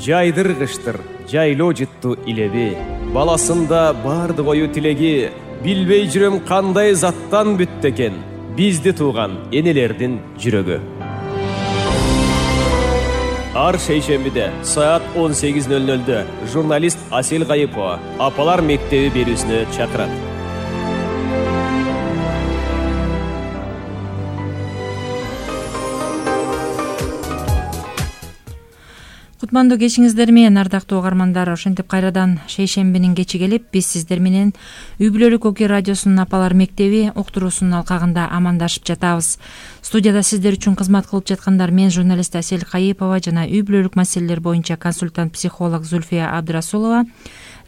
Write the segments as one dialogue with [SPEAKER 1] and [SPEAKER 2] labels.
[SPEAKER 1] жайдыргыштыр жайлоо жыттуу илеби. Баласында бардык ою тилеги, билбей жүрөм кандай заттан бүттү экен бизди тууган энелердин жүрөгү. Ар шейшембиде саат 18:00 журналист Асел Кайыпова Апалар мектеби берүүсүнө чакырат.
[SPEAKER 2] Кутмандуу кечиңиздер менен, ардактуу угармандар. Ошентип кайрадан шейшембинин кечи келип, биз сиздер менен Үй бүлөлүк Оке радиосунун Апалар мектеби уктуруусунун алкагында амандашып жатабыз. Студияда сиздер үчүн кызмат кылып жаткандар мен журналист Асел Кайыпова жана үй бүлөлүк маселелер боюнча консультант-психолог Зульфия Абдрасулова,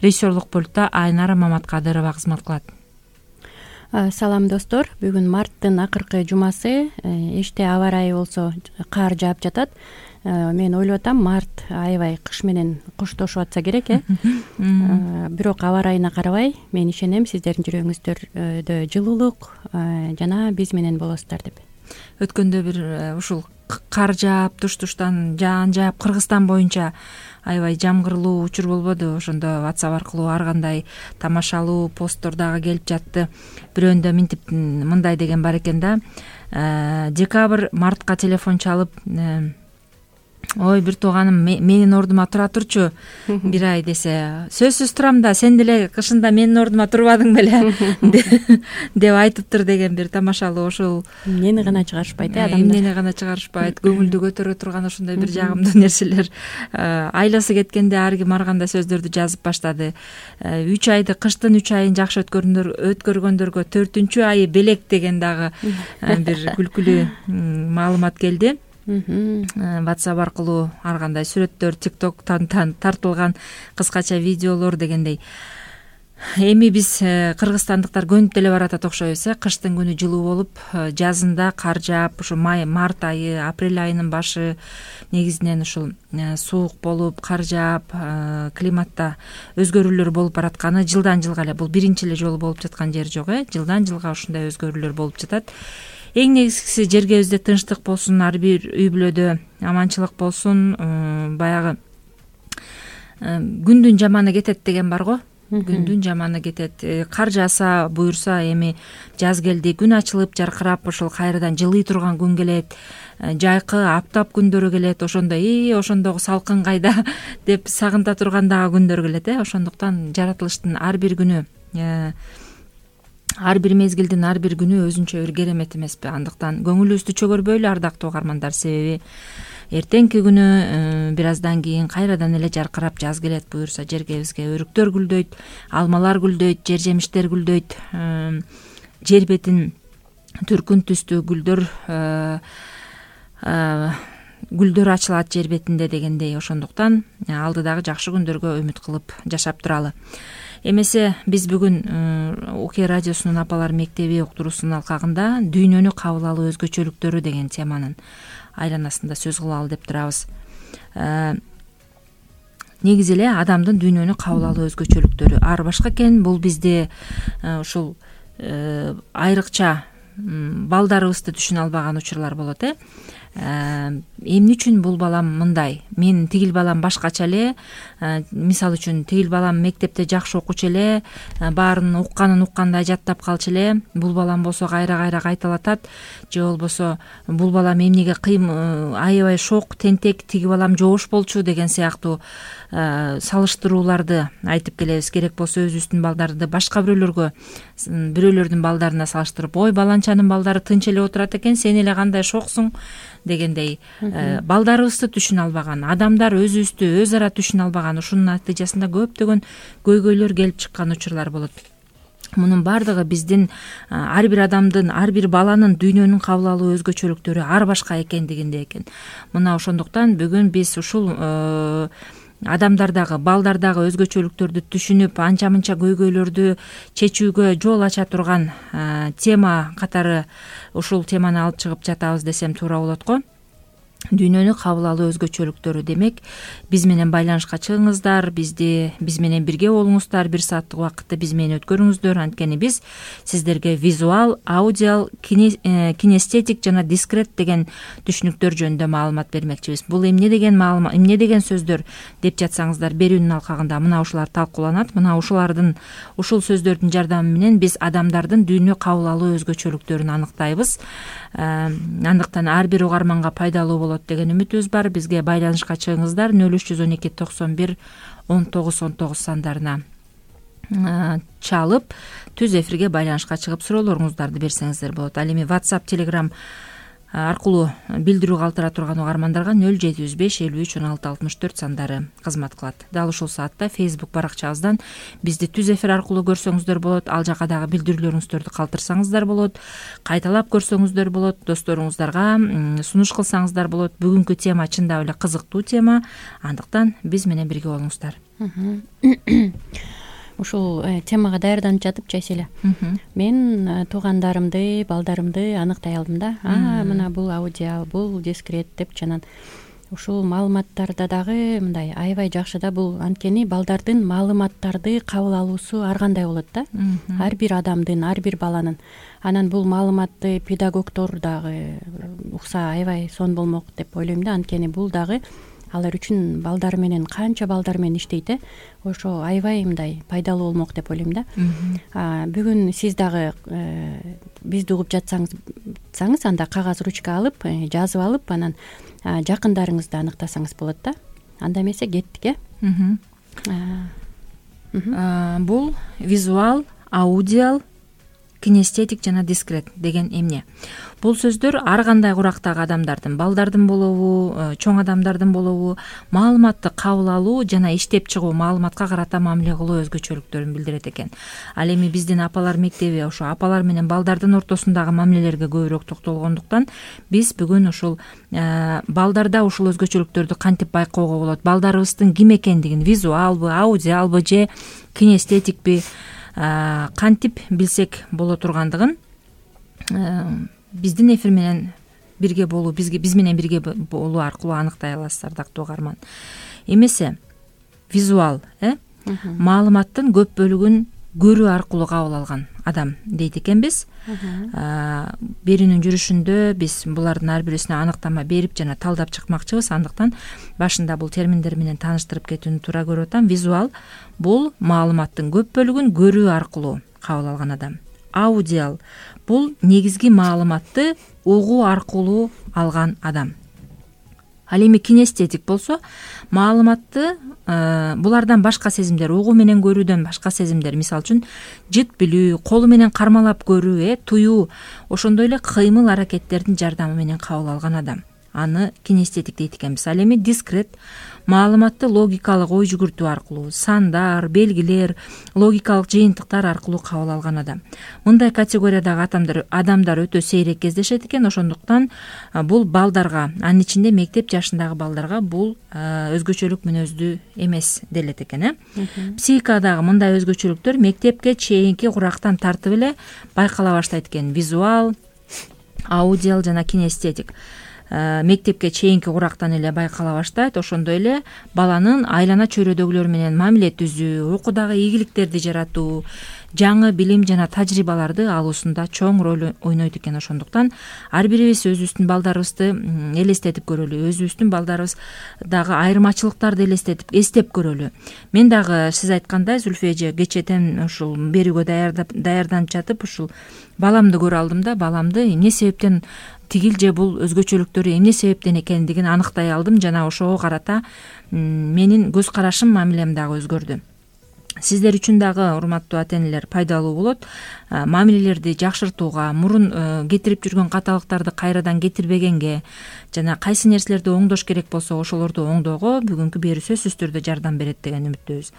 [SPEAKER 2] режиссерлук пультта Айнара Маматкадырова кызмат кылат.
[SPEAKER 3] Салам достор, бүгүн марттын акыркы жумасы, эште аба ырайы болсо кар жаап жатат. Мен ойлоп атам, март аябай кыш менен коштошуп атса керек, бирок аба ырайына карабай, мен ишенем сиздердин жүрөгүңүздөрдө жылуулук жана биз менен болосуздар деп.
[SPEAKER 2] Өткөндө бир ушул кар жаап, туш-туштан жаан жаап, Кыргызстан боюнча аябай жамгырлуу учур болбоду? Ошондо WhatsApp аркылуу ар кандай тамашалуу посттор дагы келип жатты. Бирөөндө минтип мындай деген бар экен да. Декабрь, мартка телефон чалып, ой, бир тууганым менин ордума тура турчу бир ай десе, сөзсүз турам да, сен деле кышында менин ордума турбадың беле деп айтыптыр деген бир тамашалуу ошол.
[SPEAKER 3] Эмнени гана чыгарышпайт адамдар.
[SPEAKER 2] Эмнени гана чыгарышпайт, көңүлдү көтөрө турган ошондой бир жагымдуу нерселер. Айласы кеткенде ар ким ар кандай сөздөрдү жазып баштады. 3 айды, кыштын 3 айын жакшы өткөргөндөргө 4-чү айы белек деген дагы бир күлкүлүү маалымат келди. WhatsApp аркылуу ар кандай сүрөттөр, TikToктан тартылган кыскача видеолор дегендей. Эми биз кыргызстандыктар көнүп деле баратат окшойбуз. Кыштын күнү жылуу болуп, жазында кар жаап, ушу март айы, апрель айынын башы негизинен ушул суук болуп, кар жаап, климатта өзгөрүүлөр болуп баратканы жылдан жылга эле, бул биринчи эле жолу болуп жаткан жери жок, жылдан жылга ушундай өзгөрүүлөр болуп жатат. Эң негизгиси жергебизде тынчтык болсун, ар бир үй бүлөдө аманчылык болсун, баягы күндүн жаманы кетет деген бар го. Күндүн жаманы кетет. Кар жааса, буюрса, эми жаз келди, күн ачылып, жаркырап, ошол кайрадан жылый турган күн келет. Жайкы аптап күндөрү келет. Ошондогу салкын кайда деп сагынта турган дагы күндөр келет. Ошондуктан жаратылыштын ар бир күнү, ар бир мезгилдин ар бир күнү өзүнчө бир керемет эмеспи? Андыктан көңүлүбүздү чөгөрбөйлү, ардактуу угармандар, себеби эртеңки күнү бир аздан кийин кайрадан эле жаркырап жаз келет. Буюрса жергебизге өрүктөр гүлдөйт, алмалар гүлдөйт, жер жемиштер гүлдөйт, жер бетин түркүн түстүү гүлдөр ачылат жер бетинде дегендей. Ошондуктан алдыдагы жакшы күндөргө үмүт кылып жашап туралы. Эмесе биз бүгүн Оке радиосунун Апалар мектеби уктуруусунун алкагында дүйнөнү кабыл алуу өзгөчөлүктөрү деген теманын айланасында сөз кылалы деп турабыз. Негизи эле адамдын дүйнөнү кабыл алуу өзгөчөлүктөрү ар башка экен. Бул бизде ушул айрыкча балдарыбызды түшүнө албаган учурлар болот. Эмне үчүн бул балам мындай, мен тигил балам башкача эле, мисалы үчүн тигил балам мектепте жакшы окучу эле, баарын уккандай жаттап калчу эле, бул балам болсо кайра кайталатат, же болбосо бул балам эмнеге аябай шок, тентек, тиги балам жоош болчу деген сыяктуу салыштырууларды айтып келебиз. Керек болсо өзүбүздүн балдарды башка бирөөлөрдүн балдарына салыштырып, ой, баланчанын балдары тынч эле отурат экен, сен эле кандай шоксуң дегендей. Балдарыбызды түшүнө албаган, адамдар өзүбүздү өз ара түшүнө албаган, ушунун натыйжасында көптөгөн көйгөйлөр келип чыккан учурлар болот. Мунун бардыгы биздин ар бир адамдын, ар бир баланын дүйнөнүн кабыл алуу өзгөчөлүктөрү ар башка экендигинде экен. Мына ошондуктан бүгүн биз ушул адамдардагы, балдардагы өзгөчөлүктөрдү түшүнүп, анча-мынча көйгөйлөрдү чечүүгө жол ача турган тема катары ушул теманы алып чыгып жатабыз десем туура болот го. дүйнөнү кабыл алуу өзгөчөлүктөрү. Демек, биз менен байланышка чыгыңыздар, биз менен бирге болуңуздар, 1 сааттык убакытты биз менен өткөрүңүздөр. Анткени биз сиздерге визуал, аудиал, кинестетик жана дискрет деген түшүнүктөр жөнүндө маалымат бермекчибиз. Бул эмне деген сөздөр деп жатсаңыздар, берүүнүн алкагында мына ушулар талкууланат. Мына ушул сөздөрдүн жардамы менен биз адамдардын дүйнө кабыл алуу өзгөчөлүктөрүн аныктайбыз. Андыктан ар бир угарманга пайдалуу болот деген үмүтүбүз бар. Бизге байланышка чыгыңыздар 0312 91 19 19 сандарына чалып, түз эфирге байланышка чыгып суроолоруңуздарды берсеңиздер болот. Ал эми WhatsApp, Telegram аркылуу билдирүү калтыра турган угармандарга 0705 53 16 64 сандары кызмат кылат. Дал ушул саатта Facebook баракчабыздан бизди түз эфир аркылуу көрсөңүздөр болот. Ал жака дагы билдирүүлөрүңүздөрдү калтырсаңыздар болот. Кайталап көрсөңүздөр болот. Досторуңуздарга сунуш кылсаңыздар болот. Бүгүнкү тема чындап эле кызыктуу тема. Андыктан биз менен бирге болуңуздар.
[SPEAKER 3] Ушул темага даярданып жатып, Жайселе, мен туугандарымды, балдарымды аныктай алдым да. Мына бул аудиал, бул дискрет деп жанан. Ушул маалыматтарда дагы мындай аябай жакшы да. Бул анткени балдардын маалыматтарды кабыл алуусу ар кандай болот да. Ар бир адамдын, ар бир баланын. Анан бул маалыматты педагогдор дагы укса аябай сонун болмок деп ойлойм да. Анткени бул дагы алар үчүн балдар менен канча балдар менен иштейт, ошо аябай мындай пайдалуу болмок деп ойлойм да. Бүгүн сиз дагы бизди угуп жатсаңыз, анда кагаз, ручка алып, жазып алып, анан жакындарыңызды аныктасаңыз болот да. Анда эмесе кеттик,
[SPEAKER 2] Бул визуал, аудиал, кинестетик жана дискрет деген эмне? Бул сөздөр ар кандай курактагы адамдардын, балдардын болобу, чоң адамдардын болобу, маалыматты кабыл алуу жана иштеп чыгуу, маалыматка карата мамиле кылуу өзгөчөлүктөрүн билдирет экен. Ал эми биздин апалар мектеби ошо апалар менен балдардын ортосундагы мамилелерге көбүрөөк токтолгондуктан биз бүгүн ушул балдарда ушул өзгөчөлүктөрдү кантип байкоого болот, балдарыбыздын ким экендигин, визуалбы, аудиалбы же кинестетикпи кантип билсек боло тургандыгын биздин эфир менен бирге болуу, биз менен бирге болуу аркылуу аныктай аласыздар, дактуу угарман. Эмесе визуал, маалыматтын көп бөлүгүн көрүү аркылуу кабыл алган адам дейт экенбиз. Берүүнүн жүрүшүндө биз булардын ар бирисине аныктама берип жана талдап чыкмакчыбыз. Андыктан башында бул терминдер менен тааныштырып кетүүнү туура көрүп атам. Визуал бул маалыматтын көп бөлүгүн көрүү аркылуу кабыл алган адам. Аудиал бул негизги маалыматты угуу аркылуу алган адам. Ал эми кинестетик болсо маалыматты булардан башка сезимдер, угуу менен көрүүдөн башка сезимдер, мисалы үчүн жыт билүү, колу менен кармалап көрүү, туюу, ошондой эле кыймыл аракеттердин жардамы менен кабыл алган адам. Аны кинестетик дейт экенбиз. Ал эми дискрет маалыматты логикалык ой жүгүртүү аркылуу, сандар, белгилер, логикалык жыйынтыктар аркылуу кабыл алган адам. Мындай категориядагы адамдар өтө сейрек кездешет экен. Ошондуктан бул балдарга, анын ичинде мектеп жашындагы балдарга бул өзгөчөлүк мүнөздүү эмес делет экен. Психикадагы мындай өзгөчөлүктөр мектепке чейинки курактан тартып эле байкала баштайт экен. Визуал, аудиал жана кинестетик мектепке чейинки курактан эле байкала баштайт. Ошондой эле баланын айлана чөйрөдөгүлөр менен мамиле түзүү, окуудагы ийгиликтерди жаратуу, жаңы билим жана тажрыйбаларды алуусунда чоң роль ойнойт экен. Ошондуктан ар бирибиз өзүбүздүн балдарыбызды элестетип көрөлү, өзүбүздүн балдарыбыздагы айырмачылыктарды эстеп көрөлү. Мен дагы сиз айткандай, Зүлфү эже, кечэтен ушул берүүгө даярданып жатып ушул баламды көрө алдым да. Баламды эмне себептен тигил же бул өзгөчөлүктөрү эмне себептен экендигин аныктай алдым жана ошого карата менин көз карашым, мамилем дагы өзгөрдү. Сиздер үчүн дагы, урматтуу ата-энелер, пайдалуу болот. Мамилелерди жакшыртууга, мурун кетирип жүргөн каталыктарды кайрадан кетирбегенге жана кайсы нерселерди оңдош керек болсо ошолорду оңдоого бүгүнкү берүү сөзсүз түрдө жардам берет деген үмүттөбүз.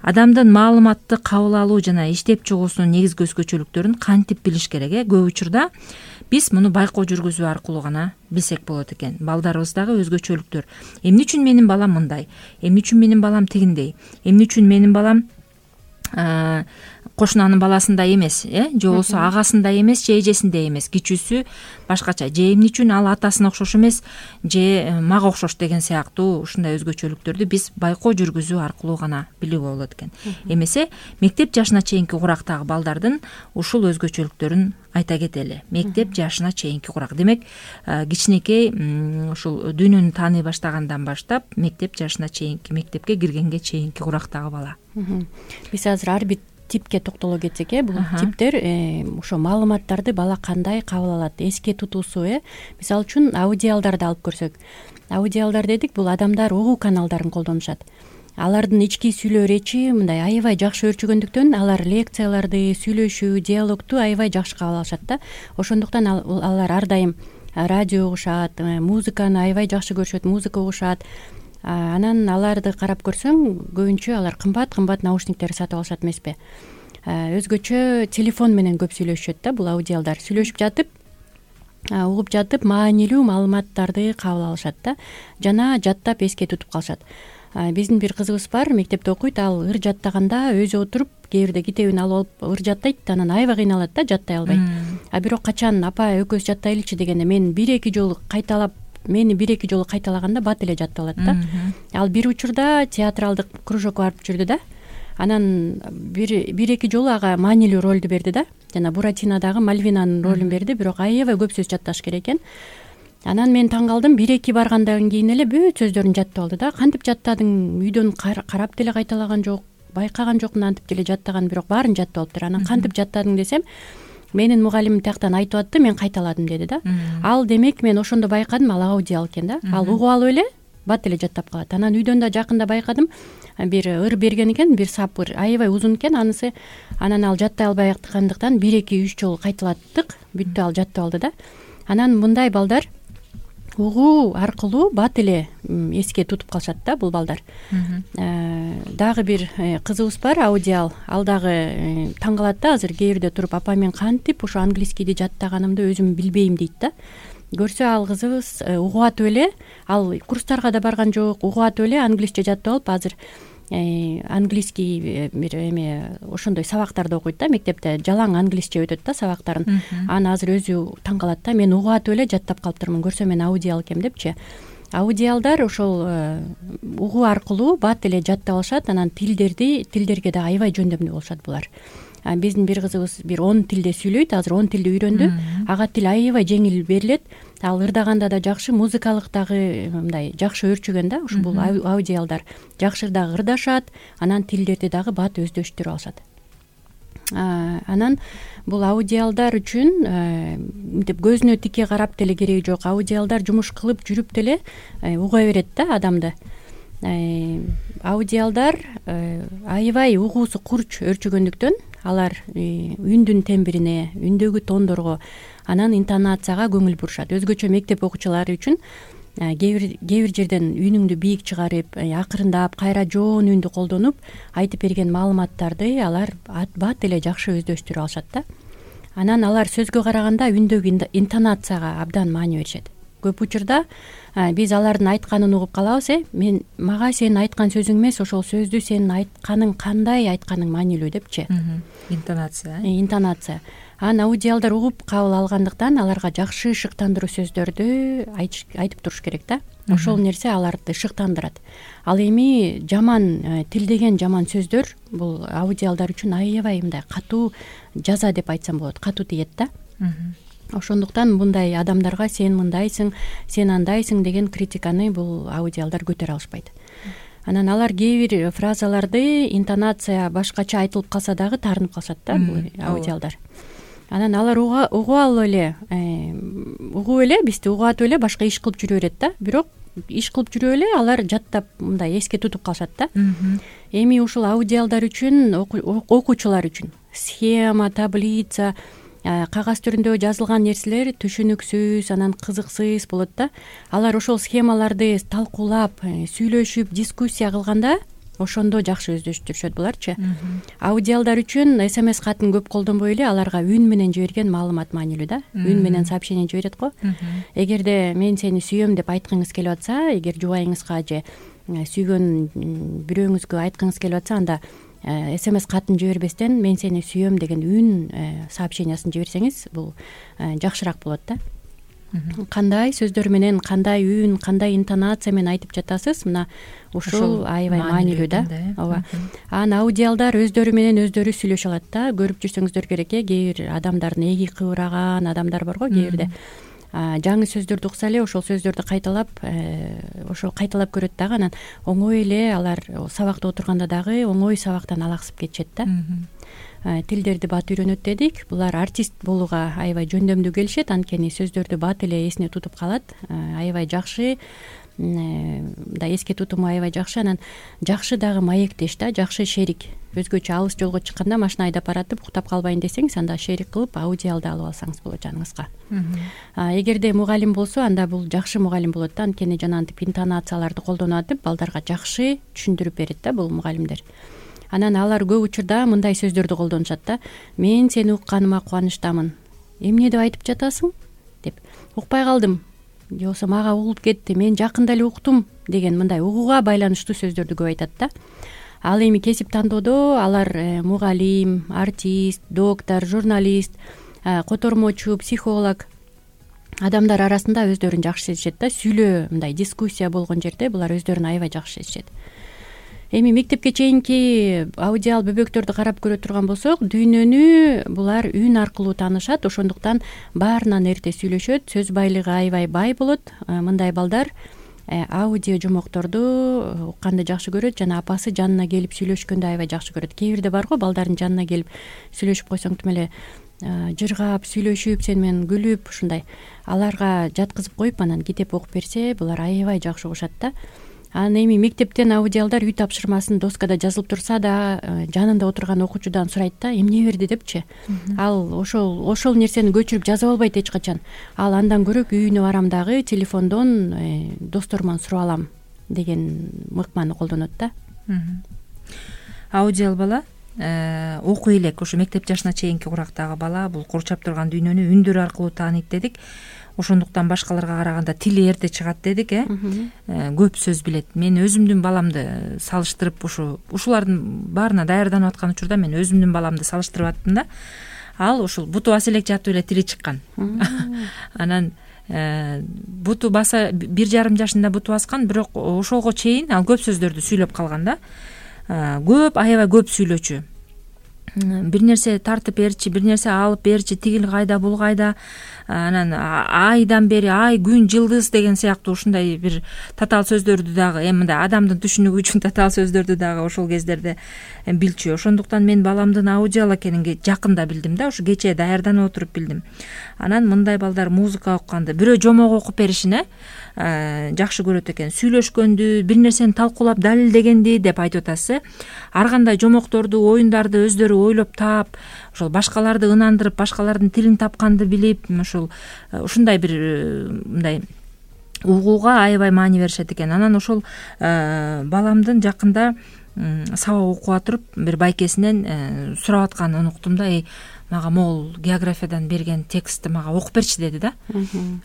[SPEAKER 2] Адамдын маалыматты кабыл алуу жана иштеп чыгуусунун негизги өзгөчөлүктөрүн кантип билиш керек? Көп учурда биз муну байкоо жүргүзүү аркылуу гана билсек болот экен. Балдарыбыздагы өзгөчөлүктөр. Эмне үчүн менин балам мындай? Эмне үчүн менин балам тигиндей? Эмне үчүн менин балам кошунанын баласындай эмес, же болбосо агасындай эмес, же эжесиндей эмес, кичүүсү башкача, же эмне үчүн ал атасына окшош эмес, же мага окшош деген сыяктуу ушундай өзгөчөлүктөрдү биз байкоо жүргүзүү аркылуу гана билүүгө болот экен. Эмесе мектеп жашына чейинки курактагы балдардын ушул өзгөчөлүктөрүн айта кетели. Мектеп жашына чейинки курак демек, кичинекей ушул дүйнөнү тааный баштагандан баштап мектеп жашына чейинки, мектепке киргенге чейинки курактагы бала.
[SPEAKER 3] Биз азыр ар бир типке токтоло кетсек, бул типтер ошо маалыматтарды бала кандай кабыл алат, эске тутуусу, мисалы үчүн аудиалдарды алып көрсөк, аудиалдар дедик, бул адамдар угуу каналдарын колдонушат. Алардын ички сүйлөө речи мындай аябай жакшы өөрчүгөндүктөн алар лекцияларды, сүйлөшүү, диалогту аябай жакшы кабыл алышат да. Ошондуктан алар ар дайым радио угушат, музыканы аябай жакшы көрүшөт, музыка угушат. Анан аларды карап көрсөң, көбүнчө алар кымбат наушниктер сатып алышат эмеспи. Өзгөчө телефон менен көп сүйлөшүшөт да бул аудиалдар. Сүйлөшүп жатып, угуп жатып маанилүү маалыматтарды кабыл алышат да, жана жаттап эске тутуп калышат. Биздин бир кызыбыз бар, мектепте окуйт, ал ыр жаттаганда өзү отуруп, кээ бирде китебин алып ыр жаттайт, анан аябай кыйналат да, жаттай албайт. Бирок качан апа экөөбүз жаттайлычы дегенде мени бир-эки жолу кайталаганда бат эле жаттап алат да. Ал бир учурда театралдык кружокко барып жүрдү да. Анан бир-эки жолу ага маанилүү ролду берди да. Жана Буратинодагы Мальвинанын ролун берди, бирок аябай көп сөз жатташ керек экен. Анан мен таң калдым, бир-эки баргандан кийин эле бүт сөздөрүн жаттап алды да. Кантип жаттадың? Үйдөн карап деле кайталаган жок, байкаган жокмун антип деле жаттаган, бирок баарын жаттап алыптыр. Анан кантип жаттадың десем, менин мугалимим тияктан айтып атты, мен кайталадым деди да. Ал демек мен ошондо байкадым, ал аудиал экен да. Ал угуп алып эле бат эле жаттап калат. Анан үйдөн да жакында байкадым, бир ыр берген экен, бир сап ыр, аябай узун экен анысы. Анан ал жаттай албай аткандыктан 1-2-3 жолу кайталаттык, бүттү, ал жаттап алды да. Анан мындай балдар угуу аркылуу бат эле эске тутуп калышат да бул балдар. Дагы бир кызыбыз бар, аудиал. Ал дагы таң калат да, азыр кээ бирде туруп, апа мен кантип ошо английскийди жаттаганымды өзүм билбейм дейт да. Көрсө ал кызыбыз угуп атып эле, ал курстарга да барган жок, угуп атып эле англисче жаттап алып, азыр английский бир ошондой сабактарды окуйт да, мектепте жалаң англисче өтөт да сабактарын. Аны азыр өзү таң калат да, мен угуп атып эле жаттап калыптырмын, көрсө мен аудиал экем депчи. Аудиалдар ошол угуу аркылуу бат эле жаттап алышат, анан тилдерге да аябай жөндөмдүү болушат булар. Биздин бир кызыбыз бир 10 тилде сүйлөйт, азыр 10 тилди үйрөндү. Ага тил аябай жеңил берилет. Ал ырдаганда да жакшы, музыкалык дагы мындай жакшы өөрчүгөн да, ушул бул аудиалдар. Жакшы дагы ырдашат, анан тилдерди дагы бат өздөштүрүп алышат. Анан бул аудиалдар үчүн мынтип көзүнө тике карап деле кереги жок. Аудиалдар жумуш кылып жүрүп деле уга берет да адамды. Аудиалдар аябай угуусу курч өөрчүгөндүктөн алар үндүн тембрине, үндөгү тондорго, анан интонацияга көңүл бурушат. Өзгөчө мектеп окуучулары үчүн кээ бир жерден үнүңдү бийик чыгарып, акырындап, кайра жоон үндү колдонуп айтып берген маалыматтарды алар бат эле жакшы өздөштүрүп алышат да. Анан алар сөзгө караганда үндөгү интонацияга абдан маани беришет. Көп учурда биз алардын айтканын угуп калабыз, мага сенин айткан сөзүң эмес, ошол сөздү сенин айтканың кандай айтканың маанилүү депчи. Интонация. Аудиалдар угуп кабыл алгандыктан аларга жакшы шыктандыруу сөздөрдү айтып туруш керек да. Ошол нерсе аларды шыктандырат. Ал эми жаман тилдеген жаман сөздөр бул аудиалдар үчүн аябай мындай катуу жаза деп айтсам болот, катуу тиет да. Ошондуктан мындай адамдарга сен мындайсың, сен андайсың деген критиканы бул аудиалдар көтөрө алышпайт. Анан алар кээ бир фразаларды интонация башкача айтылып калса дагы таарынып калышат да бул аудиалдар. Анан алар угуп эле, бизди угуп атып эле башка иш кылып жүрө берет да. Бирок иш кылып жүрүп эле алар жаттап мындай эске тутуп калышат да. Эми ушул аудиалдар үчүн, окуучулар үчүн схема, таблица, кагаз түрүндө жазылган нерселер түшүнүксүз, анан кызыксыз болот да. Алар ошол схемаларды талкуулап, сүйлөшүп, дискуссия кылганда ошондо жакшы өздөштүрүшөт буларчы. Аудиалдар үчүн SMS катын көп колдонбой эле аларга үн менен жиберген маалымат маанилүү да. Үн менен сообщение жиберет го. Эгерде мен сени сүйөм деп айткыңыз келип атса, эгер жубайыңызга же сүйгөн бирөөңүзгө айткыңыз келип атса, анда смс катын жибербестен мен сени сүйөм деген үн сообщениясын жиберсеңиз бул жакшыраак болот да. Кандай сөздөр менен, кандай үн, кандай интонация менен айтып жатасыз, мына ушул аябай маанилүү да. Ооба. Анан аудиалдар өздөрү менен өздөрү сүйлөшө алат да. Көрүп жүрсөңүздөр керек. Кээ бир адамдардын эги кыбыраган адамдар бар го кээ бирде. Жаңы сөздөрдү укса эле ошол сөздөрдү кайталап көрөт дагы. Анан оңой эле алар сабакта отурганда дагы оңой сабактан алаксып кетишет да. Тилдерди бат үйрөнөт дедик. Булар артист болууга аябай жөндөмдүү келишет, анткени сөздөрдү бат эле эсине тутуп калат. Аябай жакшы, мындай эске тутуму аябай жакшы. Анан жакшы дагы маектеш да, жакшы шерик. Өзгөчө алыс жолго чыкканда машина айдап баратып уктап калбайын десеңиз, анда шерик кылып аудиалды алып алсаңыз болот жаныңызга. Эгерде мугалим болсо, анда бул жакшы мугалим болот да, анткени жанагынтип интонацияларды колдонуп атып балдарга жакшы түшүндүрүп берет да бул мугалимдер. Анан алар көп учурда мындай сөздөрдү колдонушат да. Мен сени укканыма кубанычтамын. Эмне деп айтып жатасың? Деп. Укпай калдым. Же болбосо мага угулуп кетти. Мен жакында эле уктум деген мындай угууга байланыштуу сөздөрдү көп айтат да. Ал эми кесип тандоодо алар мугалим, артист, доктор, журналист, котормочу, психолог адамдар арасында өздөрүн жакшы сезишет да. Сүйлөө, мындай дискуссия болгон жерде булар өздөрүн аябай жакшы сезишет. Эми мектепке чейинки аудиал бөбөктөрдү карап көрө турган болсок, дүйнөнү булар үн аркылуу таанышат, ошондуктан баарынан эрте сүйлөшөт, сөз байлыгы аябай бай болот. Мындай балдар аудио жомокторду укканды жакшы көрөт жана апасы жанына келип сүйлөшкөндү аябай жакшы көрөт. Кээ бирде бар го балдардын жанына келип сүйлөшүп койсоң тим эле жыргап, сүйлөшүп, сени менен күлүп ушундай. Аларга жаткызып коюп анан китеп окуп берсе, булар аябай жакшы угушат да. Анан эми мектептен аудиалдар үй тапшырмасын доскада жазылып турса да, жанында отурган окуучудан сурайт да, эмне берди депчи. Ал ошол нерсени көчүрүп жазып албайт эч качан. Ал андан көрө үйүнө барам дагы телефондон досторуман сурап алам деген мыкманы колдонот да.
[SPEAKER 2] Аудиал бала окуй элек, ошо мектеп жашына чейинки курактагы бала бул курчап турган дүйнөнү үндөр аркылуу тааныйт дедик. Ошондуктан башкаларга караганда тили эрте чыгат дедик, көп сөз билет. Мен өзүмдүн баламды салыштырып ушулардын баарына даярданып аткан учурда мен өзүмдүн баламды салыштырып аттым да. Ал ушул буту баса элек жатып эле тили чыккан. Анан буту баса 1,5 жашында буту баскан, бирок ошого чейин ал көп сөздөрдү сүйлөп калган да. Аябай көп сүйлөчү. Бир нерсе тартып берчи, бир нерсе алып берчи, тигил кайда, бул кайда, анан айдан бери ай, күн, жылдыз деген сыяктуу ушундай бир татаал сөздөрдү дагы, мындай адамдын түшүнүгү үчүн татаал сөздөрдү дагы ошол кездерде билчү. Ошондуктан мен баламдын аудиал экенин жакында билдим да, ушу кечээ даярданып отуруп билдим. Анан мындай балдар музыка окуганды, бирөө жомок окуп беришин жакшы көрөт экен. Сүйлөшкөндү, бир нерсени талкуулап далилдегенди деп айтып атасыз. Ар кандай жомокторду, оюндарды өздөрү ойлоп таап, ошол башкаларды ынандырып, башкалардын тилин тапканды билип, ушундай бир мындай угууга аябай маани беришет экен. Анан ошол баламдын жакында сабак окуп атырып бир байкесинен сурап атканын уктум да. Мага могул географиядан берген текстти мага окуп берчи деди да.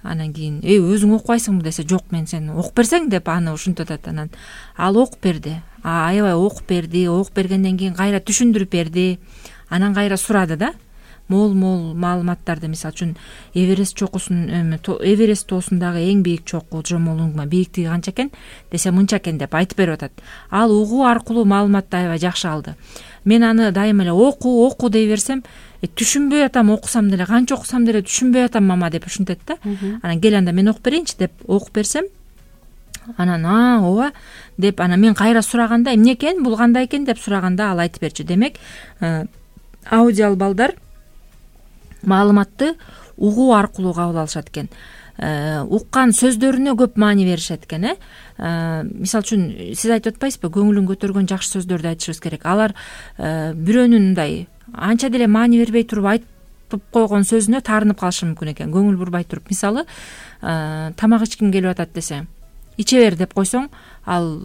[SPEAKER 2] Анан кийин өзүң окубайсыңбы десе, жок, мен сени окуп берсең деп аны ушинтип атат. Анан ал окуп берди. Аябай окуп берди. Окуп бергенден кийин кайра түшүндүрүп берди. Анан кайра сурады да. Мол маалыматтарды, мисалы үчүн Эверест Эверест тоосундагы эң бийик чокку Джомолунгма бийиктиги канча экен десе, мынча экен деп айтып берип атат. Ал угуу аркылуу маалыматты аябай жакшы алды. Мен аны дайыма эле оку дей берсем, түшүнбөй атам, окусам деле, канча окусам деле түшүнбөй атам мама деп ушинтет да. Анан кел анда мен окуп берейинчи деп окуп берсем, анан ооба деп, анан мен кайра сураганда, эмне экен, бул кандай экен деп сураганда ал айтып берчү. Демек, аудиал балдар маалыматты угуу аркылуу кабыл алышат экен. Уккан сөздөрүнө көп маани беришет экен. Мисалы үчүн сиз айтып атпайсызбы, көңүлүн көтөргөн жакшы сөздөрдү айтышыбыз керек. Алар бирөөнүн мындай анча деле маани бербей туруп айтып койгон сөзүнө таарынып калышы мүмкүн экен, көңүл бурбай туруп. Мисалы, тамак ичким келип атат десе, иче бер деп койсоң, ал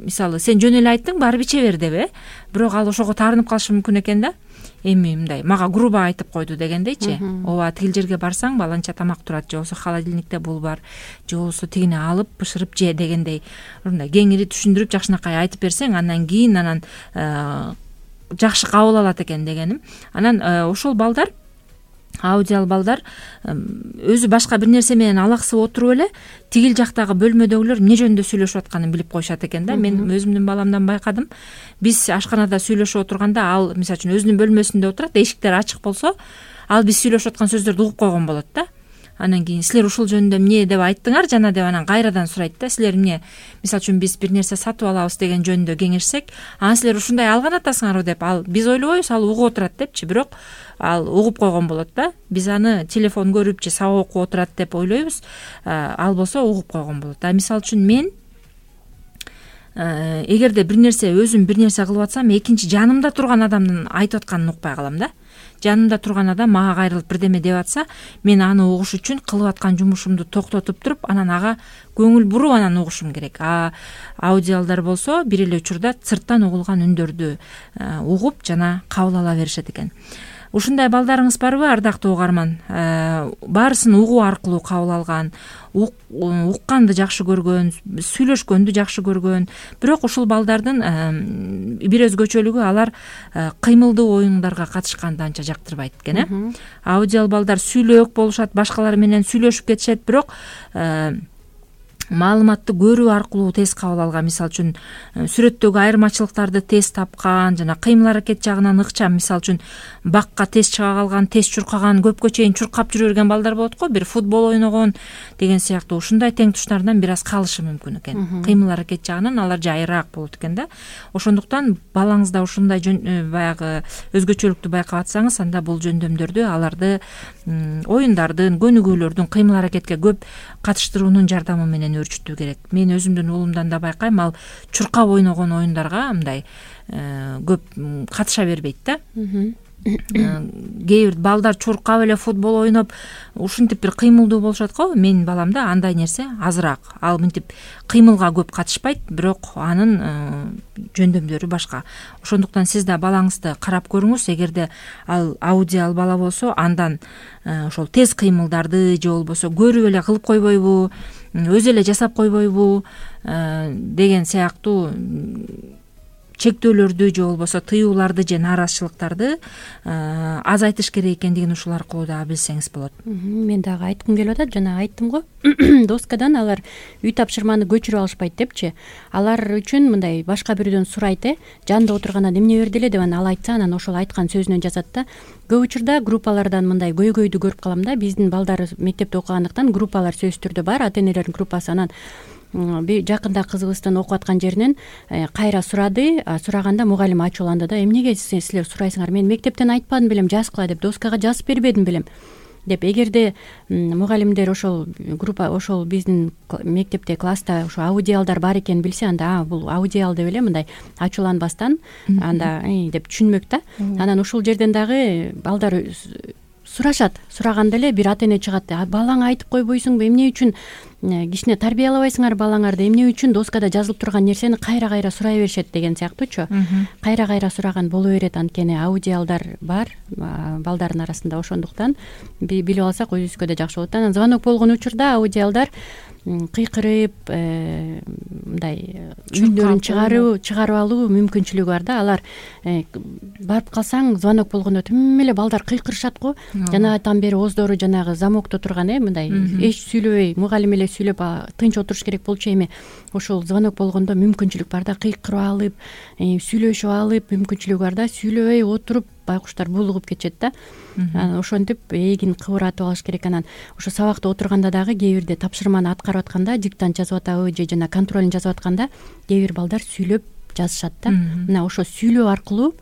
[SPEAKER 2] мисалы сен жөн эле айттың барып иче бер деп, бирок ал ошого таарынып калышы мүмкүн экен да. Эми мындай мага грубо айтып койду дегендейчи. Ооба тигил жерге барсаң баланча тамак турат, же болбосо холодильникте бул бар, же болбосо тигини алып бышырып же дегендей мындай кеңири түшүндүрүп жакшынакай айтып берсең, андан кийин жакшы кабыл алат экен дегеним. Анан ошол балдар, аудиал балдар өзү башка бир нерсе менен алаксып отуруп эле тигил жактагы бөлмөдөгүлөр эмне жөнүндө сүйлөшүп атканын билип коюшат экен да. Мен өзүмдүн баламдан байкадым. Биз ашканада сүйлөшүп отурганда ал мисалы үчүн өзүнүн бөлмөсүндө отурат, эшиктер ачык болсо, ал биз сүйлөшүп аткан сөздөрдү угуп койгон болот да. Анан кийин силер ушул жөнүндө эмне деп айттыңар жана деп анан кайрадан сурайт да. Силер эмне, мисалы үчүн биз бир нерсе сатып алабыз деген жөнүндө кеңешсек, силер ушундай алган атасыңарбы деп, ал биз ойлобойбуз, ал угуп отурат депчи, бирок ал угуп койгон болот да. Биз аны телефон көрүп же сабак окуп отурат деп ойлойбуз, ал болсо угуп койгон болот. Мисалы үчүн мен эгерде бир нерсе өзүм бир нерсе кылып атсам, экинчи жанымда турган адамдын айтып атканын укпай калам да. Жанымда турган адам мага кайрылып бирдеме деп атса, мен аны угуш үчүн кылып аткан жумушумду токтотуп туруп, анан ага көңүл буруп анан угушум керек. Аудиалдар болсо бир эле учурда сырттан угулган үндөрдү угуп жана кабыл ала беришет экен. Ушундай балдарыңыз барбы, ардактуу угарман? Баарысын угуу аркылуу кабыл алган, укканды жакшы көргөн, сүйлөшкөндү жакшы көргөн. Бирок ушул балдардын бир өзгөчөлүгү, алар кыймылдуу оюндарга катышканды анча жактырбайт экен. Аудиал балдар сүйлөөк болушат, башкалар менен сүйлөшүп кетишет, бирок маалыматты көрүү аркылуу тез кабыл алган. Мисалы үчүн сүрөттөгү айырмачылыктарды тез тапкан жана кыймыл аракет жагынан ыкчам. Мисалы үчүн бакка тез чыга калган, тез чуркаган, көпкө чейин чуркап жүрө берген балдар болот го, бир футбол ойногон деген сыяктуу. Ушундай тең туштарынан бир аз калышы мүмкүн экен. Кыймыл аракет жагынан алар жайыраак болот экен да. Ошондуктан балаңызда ушундай баягы өзгөчөлүктү байкап атсаңыз, анда бул жөндөмдөрдү аларды оюндардын, көнүгүүлөрдүн, кыймыл аракетке көп катыштыруунун жардамы менен өөрчүтүү керек. Мен өзүмдүн уулумдан да байкайм, ал чуркап ойногон оюндарга мындай көп катыша бербейт да. Кээ бир балдар чуркап эле футбол ойноп, ушинтип бир кыймылдуу болушат го. Менин баламда андай нерсе азыраак. Ал мынтип кыймылга көп катышпайт, бирок анын жөндөмдөрү башка. Ошондуктан сиз да балаңызды карап көрүңүз. Эгерде ал аудиал бала болсо, андан ошол тез кыймылдарды же болбосо көрүп эле кылып койбойбу, өзү эле жасап койбойбу деген сыяктуу чектөөлөрдү же болбосо тыюуларды же нааразычылыктарды азайтыш керек экендигин ушул аркылуу дагы билсеңиз болот.
[SPEAKER 3] Мен дагы айткым келип атат, жана айттым го, доскадан алар үй тапшырманы көчүрүп алышпайт депчи. Алар үчүн мындай башка бирөөдөн сурайт, жанында отургандан эмне берди эле деп ал айтса, анан ошол айткан сөзүнөн жазат да. Көп учурда группалардан мындай көйгөйдү көрүп калам да. Биздин балдар мектепте окугандыктан группалар сөзсүз түрдө бар, ата энелердин группасы. Анан жакында кызыбыздын окуп аткан жеринен кайра сурады. Сураганда мугалим ачууланды да, эмнеге силер сурайсыңар, мен мектептен айтпадым белем жазгыла деп, доскага жазып бербедим белем деп. Эгерде мугалимдер ошол группа, ошол биздин мектепте класста ошо аудиалдар бар экенин билсе, анда бул аудиал деп эле мындай ачууланбастан анда деп түшүнмөк да. Анан ушул жерден дагы балдар сурашат. Сураганда эле бир ата эне чыгат, балаңа айтып койбойсуңбу, эмне үчүн кичине тарбиялабайсыңар балаңарды, эмне үчүн доскада жазылып турган нерсени кайра сурай беришет деген сыяктуучу. Кайра сураган боло берет, анткени аудиалдар бар балдардын арасында. Ошондуктан билип алсак өзүбүзгө да жакшы болот. Анан звонок болгон учурда аудиалдар кыйкырып мындай үндөрүн чыгарып алуу мүмкүнчүлүгү бар да. Алар барып калсаң, звонок болгондо тим эле балдар кыйкырышат го. Жанагыдан бери оздору жанагы замокто турган мындай эч сүйлөбөй, мугалим эле сүйлөп тынч отуруш керек болчу. Эми ошол звонок болгондо мүмкүнчүлүк бар да, кыйкырып алып, сүйлөшүп алып мүмкүнчүлүгү бар да. Сүйлөбөй отуруп байкуштар булугуп кетишет да. Ошентип эгин кыбыратып алыш керек. Анан ошо сабакта отурганда дагы кээ бирде тапшырманы аткарып атканда, диктант жазып атабы же жана контролун жазып атканда кээ бир балдар сүйлөп жазышат да. Мына ошо сүйлөө аркылуу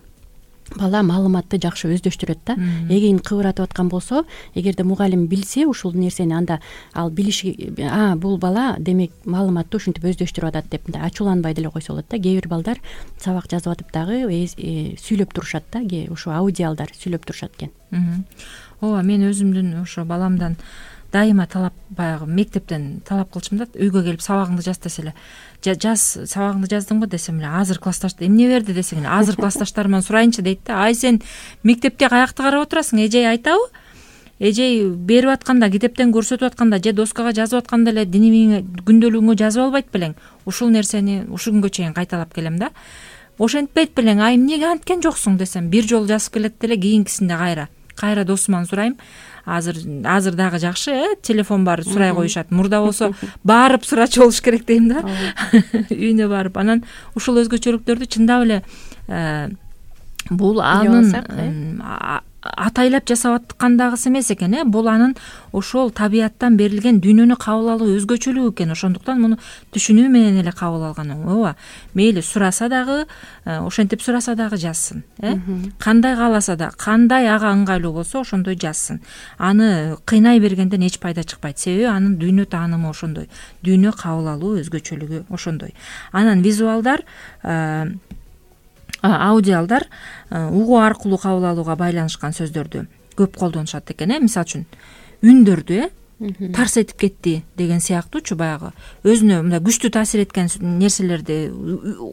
[SPEAKER 3] бала маалыматты жакшы өздөштүрөт да. Эгин кыбыратып аткан болсо, эгерде мугалим билсе ушул нерсени, анда ал билиши, бул бала демек маалыматты ушинтип өздөштүрүп атат деп ачууланбай деле койсо болот да. Кээ бир балдар сабак жазып атып дагы сүйлөп турушат да, ошо аудиалдар сүйлөп турушат экен.
[SPEAKER 2] Ооба, мен өзүмдүн ошо баламдан дайыма талап, баягы мектептен талап кылчумун да, үйгө келип сабагыңды жаз десе эле, жаз, сабагыңды жаздыңбы десем эле, азыр классташ эмне берди десең эле, азыр классташтарыман сурайынчы дейт да. Ай сен мектепте каякты карап отурасың, эжей айтабы? Эжей берип атканда, китептен көрсөтүп атканда же доскага жазып атканда эле динимиңе, күндөлүгүңө жазып албайт белең? Ушул нерсени ушул күнгө чейин кайталап келем да. Ошентпейт белең, ай эмнеге анткен жоксуң десем, бир жолу жазып келет деле, кийинкисинде кайра досуман сурайм. Азыр дагы жакшы, телефон бар, сурай коюшат. Мурда болсо барып сурачу болуш керек дейм да. Үйүнө барып, анан ушул өзгөчөлүктөрдү чындап эле бул анын атайлап жасап аткандагысы эмес экен, бул анын ошол табияттан берилген дүйнөнү кабыл алуу өзгөчөлүгү экен. Ошондуктан муну түшүнүү менен эле кабыл алган. Ооба, мейли сураса дагы, ошентип сураса дагы жазсын, кандай кааласа да, кандай ага ыңгайлуу болсо ошондой жазсын. Аны кыйнай бергенден эч пайда чыкпайт. Себеби анын дүйнө таанымы ошондой, дүйнө кабыл алуу өзгөчөлүгү ошондой. Анан визуалдар, аудиалдар угуу аркылуу кабыл алууга байланышкан сөздөрдү көп колдонушат экен. Мисалы үчүн үндөрдү тарс этип кетти деген сыяктуучу, баягы өзүнө мындай күчтүү таасир эткен нерселерди,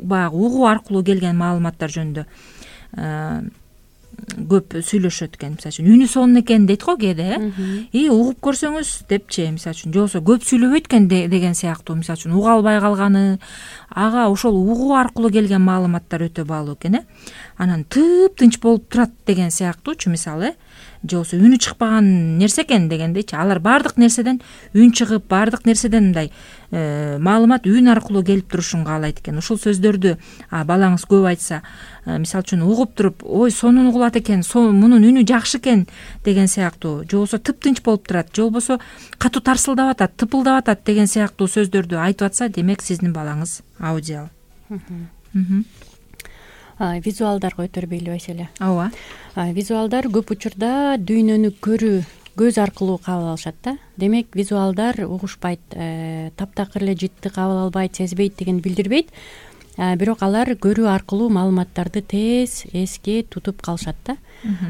[SPEAKER 2] баягы угуу аркылуу келген маалыматтар жөнүндө көп сүйлөшөт экен. Мисалы үчүн үнү сонун экен дейт го кээде, угуп көрсөңүз депчи, мисалы үчүн, же болбосо көп сүйлөбөйт экен деген сыяктуу, мисалы үчүн уга албай калганы, ага ошол угуу аркылуу келген маалыматтар өтө баалуу экен. Анан тыптынч болуп турат деген сыяктуучу, мисалы, же болбосо үнү чыкпаган нерсе экен дегендейчи. Алар баардык нерседен үн чыгып, баардык нерседен мындай маалымат үн аркылуу келип турушун каалайт экен. Ушул сөздөрдү балаңыз көп айтса, мисалы үчүн угуп туруп, ой сонун угулат экен, мунун үнү жакшы экен деген сыяктуу, же болбосо тыптынч болуп турат, же болбосо катуу тарсылдап атат, тыпылдап атат деген сыяктуу сөздөрдү айтып атса, демек сиздин балаңыз аудиал.
[SPEAKER 3] Визуалдарга өтөрбөйлү Айселе.
[SPEAKER 2] Ооба.
[SPEAKER 3] Визуалдар көп учурда дүйнөнү көрүү, көз аркылуу кабыл алышат да. Демек визуалдар угушпайт, таптакыр эле житти кабыл албайт, сезбейт деген билдирбейт. Бирок алар көрүү аркылуу маалыматтарды тез эске тутуп калышат да.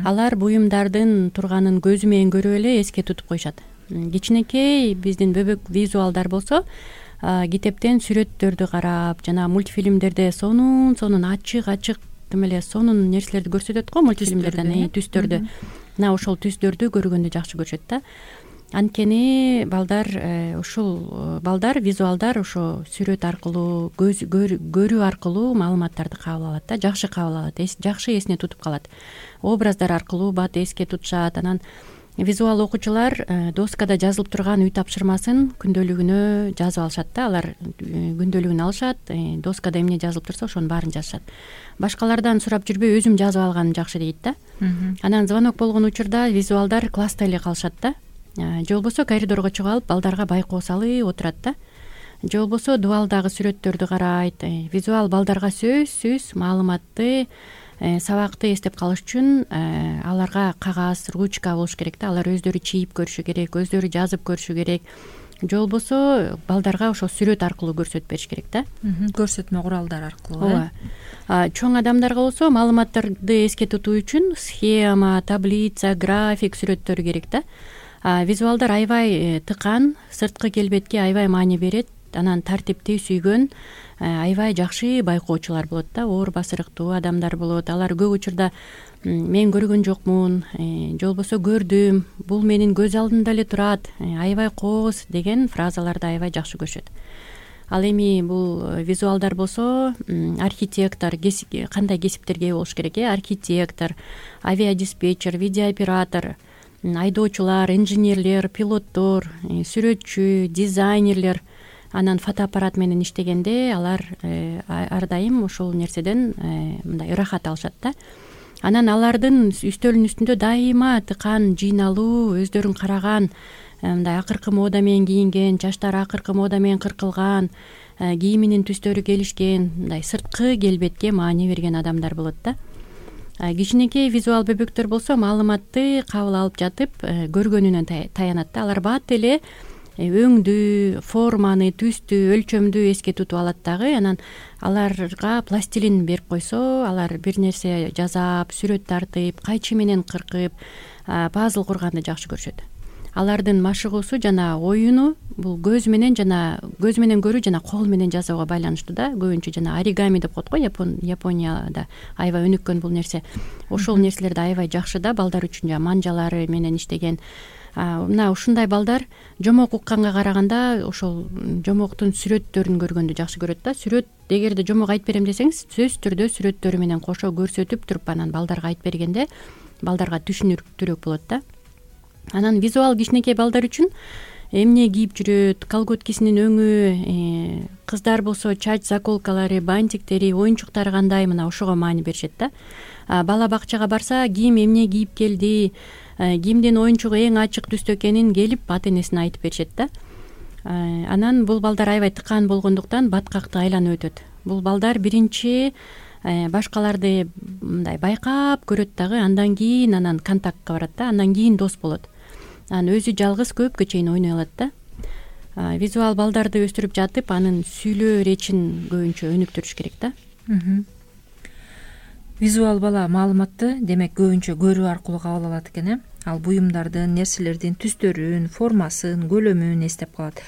[SPEAKER 3] Алар буюмдардын турганын көзү менен көрүп эле эске тутуп коюшат. Кичинекей биздин бөбөк визуалдар болсо, китептен сүрөттөрдү карап, жана мультфильмдерде сонун ачык тим эле сонун нерселерди көрсөтөт го мультфильмдерден, түстөрдү. Мына ошол түстөрдү көргөндү жакшы көрүшөт да. Анткени ушул балдар, визуалдар ошо сүрөт аркылуу, көрүү аркылуу маалыматтарды кабыл алат да, жакшы кабыл алат, жакшы эсине тутуп калат. Образдар аркылуу бат эске тутушат. Анан визуал окуучулар доскада жазылып турган үй тапшырмасын күндөлүгүнө жазып алышат да. Алар күндөлүгүн алышат, доскада эмне жазылып турса ошонун баарын жазышат. Башкалардан сурап жүрбөй өзүм жазып алганым жакшы дейт да. Анан звонок болгон учурда визуалдар класста эле калышат да. Же болбосо коридорго чыгып алып балдарга байкоо салып отурат да. Же болбосо дубалдагы сүрөттөрдү карайт. Визуал балдарга сөзсүз маалыматты, сабакты эстеп калыш үчүн аларга кагаз, ручка болуш керек да. Алар өздөрү чийип көрүшү керек, өздөрү жазып көрүшү керек. Же болбосо балдарга ошо сүрөт аркылуу көрсөтүп бериш керек да.
[SPEAKER 2] Көрсөтмө куралдар аркылуу.
[SPEAKER 3] Ооба. Чоң адамдарга болсо маалыматтарды эске тутуу үчүн схема, таблица, график сүрөттөрү керек да. Визуалдар аябай тыкан, сырткы келбетке аябай маани берет. Анан тартипти сүйгөн аябай жакшы байкоочулар болот да, оор басырыктуу адамдар болот. Алар көп учурда мен көргөн жокмун, же болбосо көрдүм, бул менин көз алдымда эле турат, аябай кооз деген фразаларды аябай жакшы көрүшөт. Ал эми бул визуалдар болсо архитектор, кандай кесиптерге ээ болуш керек? Архитектор, авиадиспетчер, видеооператор, айдоочулар, инженерлер, пилоттор, сүрөтчү, дизайнерлер, анан фотоаппарат менен иштегенде алар ар дайым ошол нерседен мындай ырахат алышат да. Анан алардын үстөлүнүн үстүндө дайыма тыкан, жыйналуу, өздөрүн караган, мындай акыркы мода менен кийинген, чачтары акыркы мода менен кыркылган, кийиминин түстөрү келишкен, мындай сырткы келбетке маани берген адамдар болот да. Кичинекей визуал бөбөктөр болсо маалыматты кабыл алып жатып көргөнүнөн таянат да. Алар бат эле өңдү, форманы, түстү, өлчөмдү эске тутуп алат дагы. Анан аларга пластилин берип койсо, алар бир нерсе жасап, сүрөт тартып, кайчы менен кыркып, пазл курганды жакшы көрүшөт. алардын машыгуусу жана оюну бул көз менен көрүү жана кол менен жасоого байланыштуу да. Көбүнчө жана оригами деп коет го Японияда аябай өнүккөн бул нерсе. Ошол нерселерди аябай жакшы да балдар үчүн манжалары менен иштеген. Мына ушундай балдар жомок укканга караганда ошол жомоктун сүрөттөрүн көргөндү жакшы көрөт да. Сүрөт эгерде жомок айтып берем десеңиз, сөзсүз түрдө сүрөттөрү менен кошо көрсөтүп туруп анан балдарга айтып бергенде балдарга түшүнүктүүрөөк болот да. Анан визуал кичинекей балдар үчүн эмне кийип жүрөт, колготкисинин өңү, кыздар болсо чач заколкалары, бантиктери, оюнчуктары кандай, мына ошого маани беришет да. Бала бакчага барса, ким эмне кийип келди, кимдин оюнчугу эң ачык түстө экенин келип ата энесине айтып беришет да. Анан бул балдар аябай тыкаан болгондуктан баткакты айланып өтөт. Бул балдар биринчи башкаларды мындай байкап көрөт дагы, андан кийин анан контактка барат да, андан кийин дос болот. Анан өзү жалгыз көпкө чейин ойной алат да. Визуал балдарды өстүрүп жатып, анын сүйлөө речин көбүнчө өнүктүрүш керек да.
[SPEAKER 2] Визуал бала маалыматты демек көбүнчө көрүү аркылуу кабыл алат экен. Ал буюмдардын, нерселердин түстөрүн, формасын, көлөмүн эстеп калат.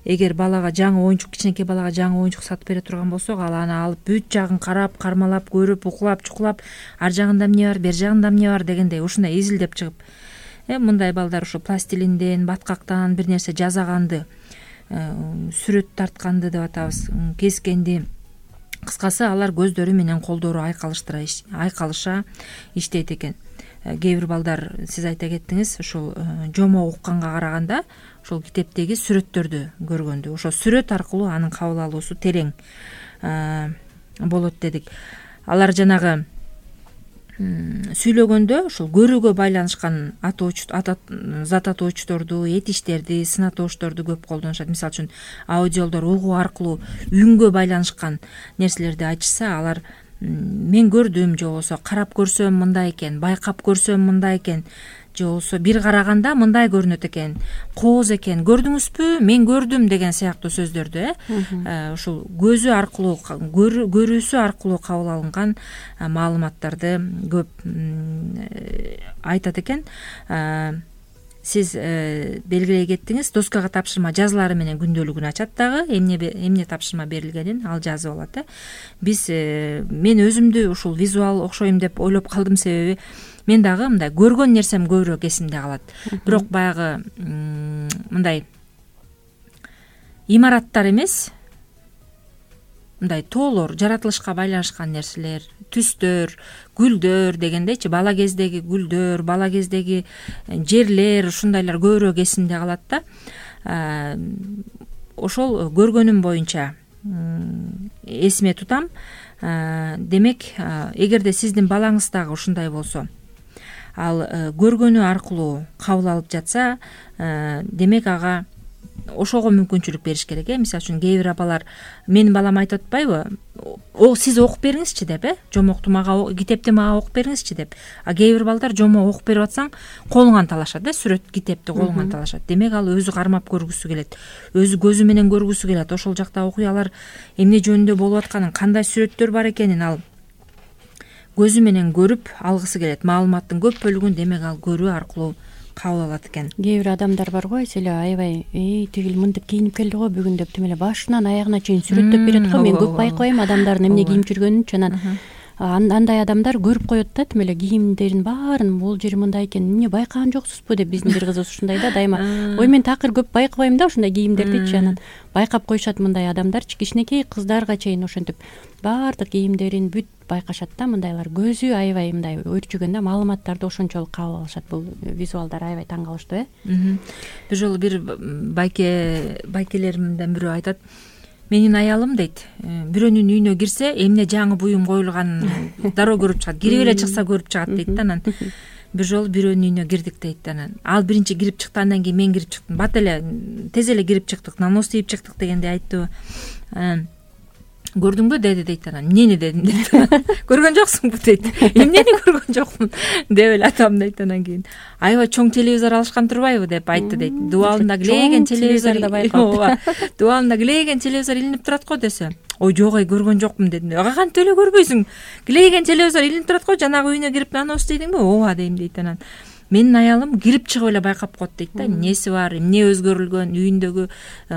[SPEAKER 2] Эгер балага жаңы оюнчук, кичинекей балага жаңы оюнчук сатып бере турган болсок, ал аны алып бүт жагын карап, кармалап, көрүп, укулап, чукулап, ар жагында эмне бар, бер жагында эмне бар дегендей ушундай изилдеп чыгып, мындай балдар ушу пластилинден, баткактан бир нерсе жасаганды, сүрөт тартканды деп атабыз, кескенди. Кыскасы алар көздөрү менен колдору айкалыша иштейт экен. Кээ бир балдар, сиз айта кеттиңиз, ушул жомок укканга караганда ошол китептеги сүрөттөрдү көргөндү. Ошо сүрөт аркылуу анын кабыл алуусу терең болот дедик. Алар жанагы сүйлөгөндө ушул көрүүгө байланышкан зат атоочторду, этиштерди, сын атоочторду көп колдонушат. Мисалы үчүн аудиолдор угуу аркылуу үнгө байланышкан нерселерди айтышса, алар мен көрдүм, же болбосо карап көрсөм мындай экен, байкап көрсөм мындай экен, же болбосо бир караганда мындай көрүнөт экен, кооз экен, көрдүңүзбү, мен көрдүм деген сыяктуу сөздөрдү ушул көзү аркылуу, көрүүсү аркылуу кабыл алынган маалыматтарды көп айтат экен. Сиз белгилей кеттиңиз, доскага тапшырма жазылары менен күндөлүгүн ачат дагы, эмне тапшырма берилгенин ал жазып алат. Мен өзүмдү ушул визуал окшойм деп ойлоп калдым, себеби мен дагы мындай көргөн нерсем көбүрөөк эсимде калат. Бирок баягы мындай имараттар эмес, мындай тоолор, жаратылышка байланышкан нерселер, түстөр, гүлдөр дегендейчи, бала кездеги гүлдөр, бала кездеги жерлер, ушундайлар көбүрөөк эсимде калат да. Ошол көргөнүм боюнча эсиме тутам. Демек, эгерде сиздин балаңыз дагы ушундай болсо, ал көргөнү аркылуу кабыл алып жатса, демек ага ошого мүмкүнчүлүк бериш керек. Мисалы үчүн кээ бир апалар менин балам айтып атпайбы, сиз окуп бериңизчи деп, жомокту мага, китепти мага окуп бериңизчи деп. Кээ бир балдар жомок окуп берип атсаң колуңан талашат, сүрөт китепти колуңан талашат. Демек ал өзү кармап көргүсү келет, өзү көзү менен көргүсү келет. Ошол жакта окуялар эмне жөнүндө болуп атканын, кандай сүрөттөр бар экенин ал көзү менен көрүп алгысы келет. Маалыматтын көп бөлүгүн демек ал көрүү аркылуу кабыл алат экен.
[SPEAKER 3] Кээ бир адамдар бар го, эселе аябай тигил мынтип кийинип келди го бүгүн деп, тим эле башынан аягына чейин сүрөттөп берет го. Мен көп байкабайм адамдардын эмне кийип жүргөнүн. Анан андай адамдар көрүп коет да, тим эле кийимдерин баарын, бул жери мындай экен, эмне байкаган жоксузбу деп. Биздин бир кызыбыз ушундай да, дайыма ой мен такыр көп байкабайм да ушундай кийимдердичи. Анан байкап коюшат мындай адамдарчы, кичинекей кыздарга чейин ошентип баардык кийимдерин бүт байкашат да. Мындайлар көзү аябай мындай өрчүгөн да, маалыматтарды ошончолук кабыл алышат. Бул визуалдар аябай таң калыштуу.
[SPEAKER 2] Бир жолу бир байкелеримден бирөө айтат, менин аялым дейт, бирөөнүн үйүнө кирсе эмне жаңы буюм коюлганын дароо көрүп чыгат, кирип эле чыкса көрүп чыгат дейт да. Анан бир жолу бирөөнүн үйүнө кирдик дейт. Анан ал биринчи кирип чыкты, андан кийин мен кирип чыктым. Бат эле тез эле кирип чыктык, нанос тийип чыктык дегендей айтты. Көрдүңбү деди дейт. Анан эмнени дедим дейт. Көргөн жоксуңбу дейт. Эмнени көргөн жокмун деп эле атам дейт. Анан кийин аябай чоң телевизор алышкан турбайбы деп айтты дейт. Дубалында килейген телевизор дубалында килейген телевизор илинип турат го десе, ой жок, көргөн жокмун дедим. Кантип эле көрбөйсүң, килейген телевизор илинип турат го, жанагы үйүнө кирип нанос дейдиңби? Ооба дейм дейт. Анан менин аялым кирип чыгып эле байкап коет дейт да, эмнеси бар, эмне өзгөрүлгөн, үйүндөгү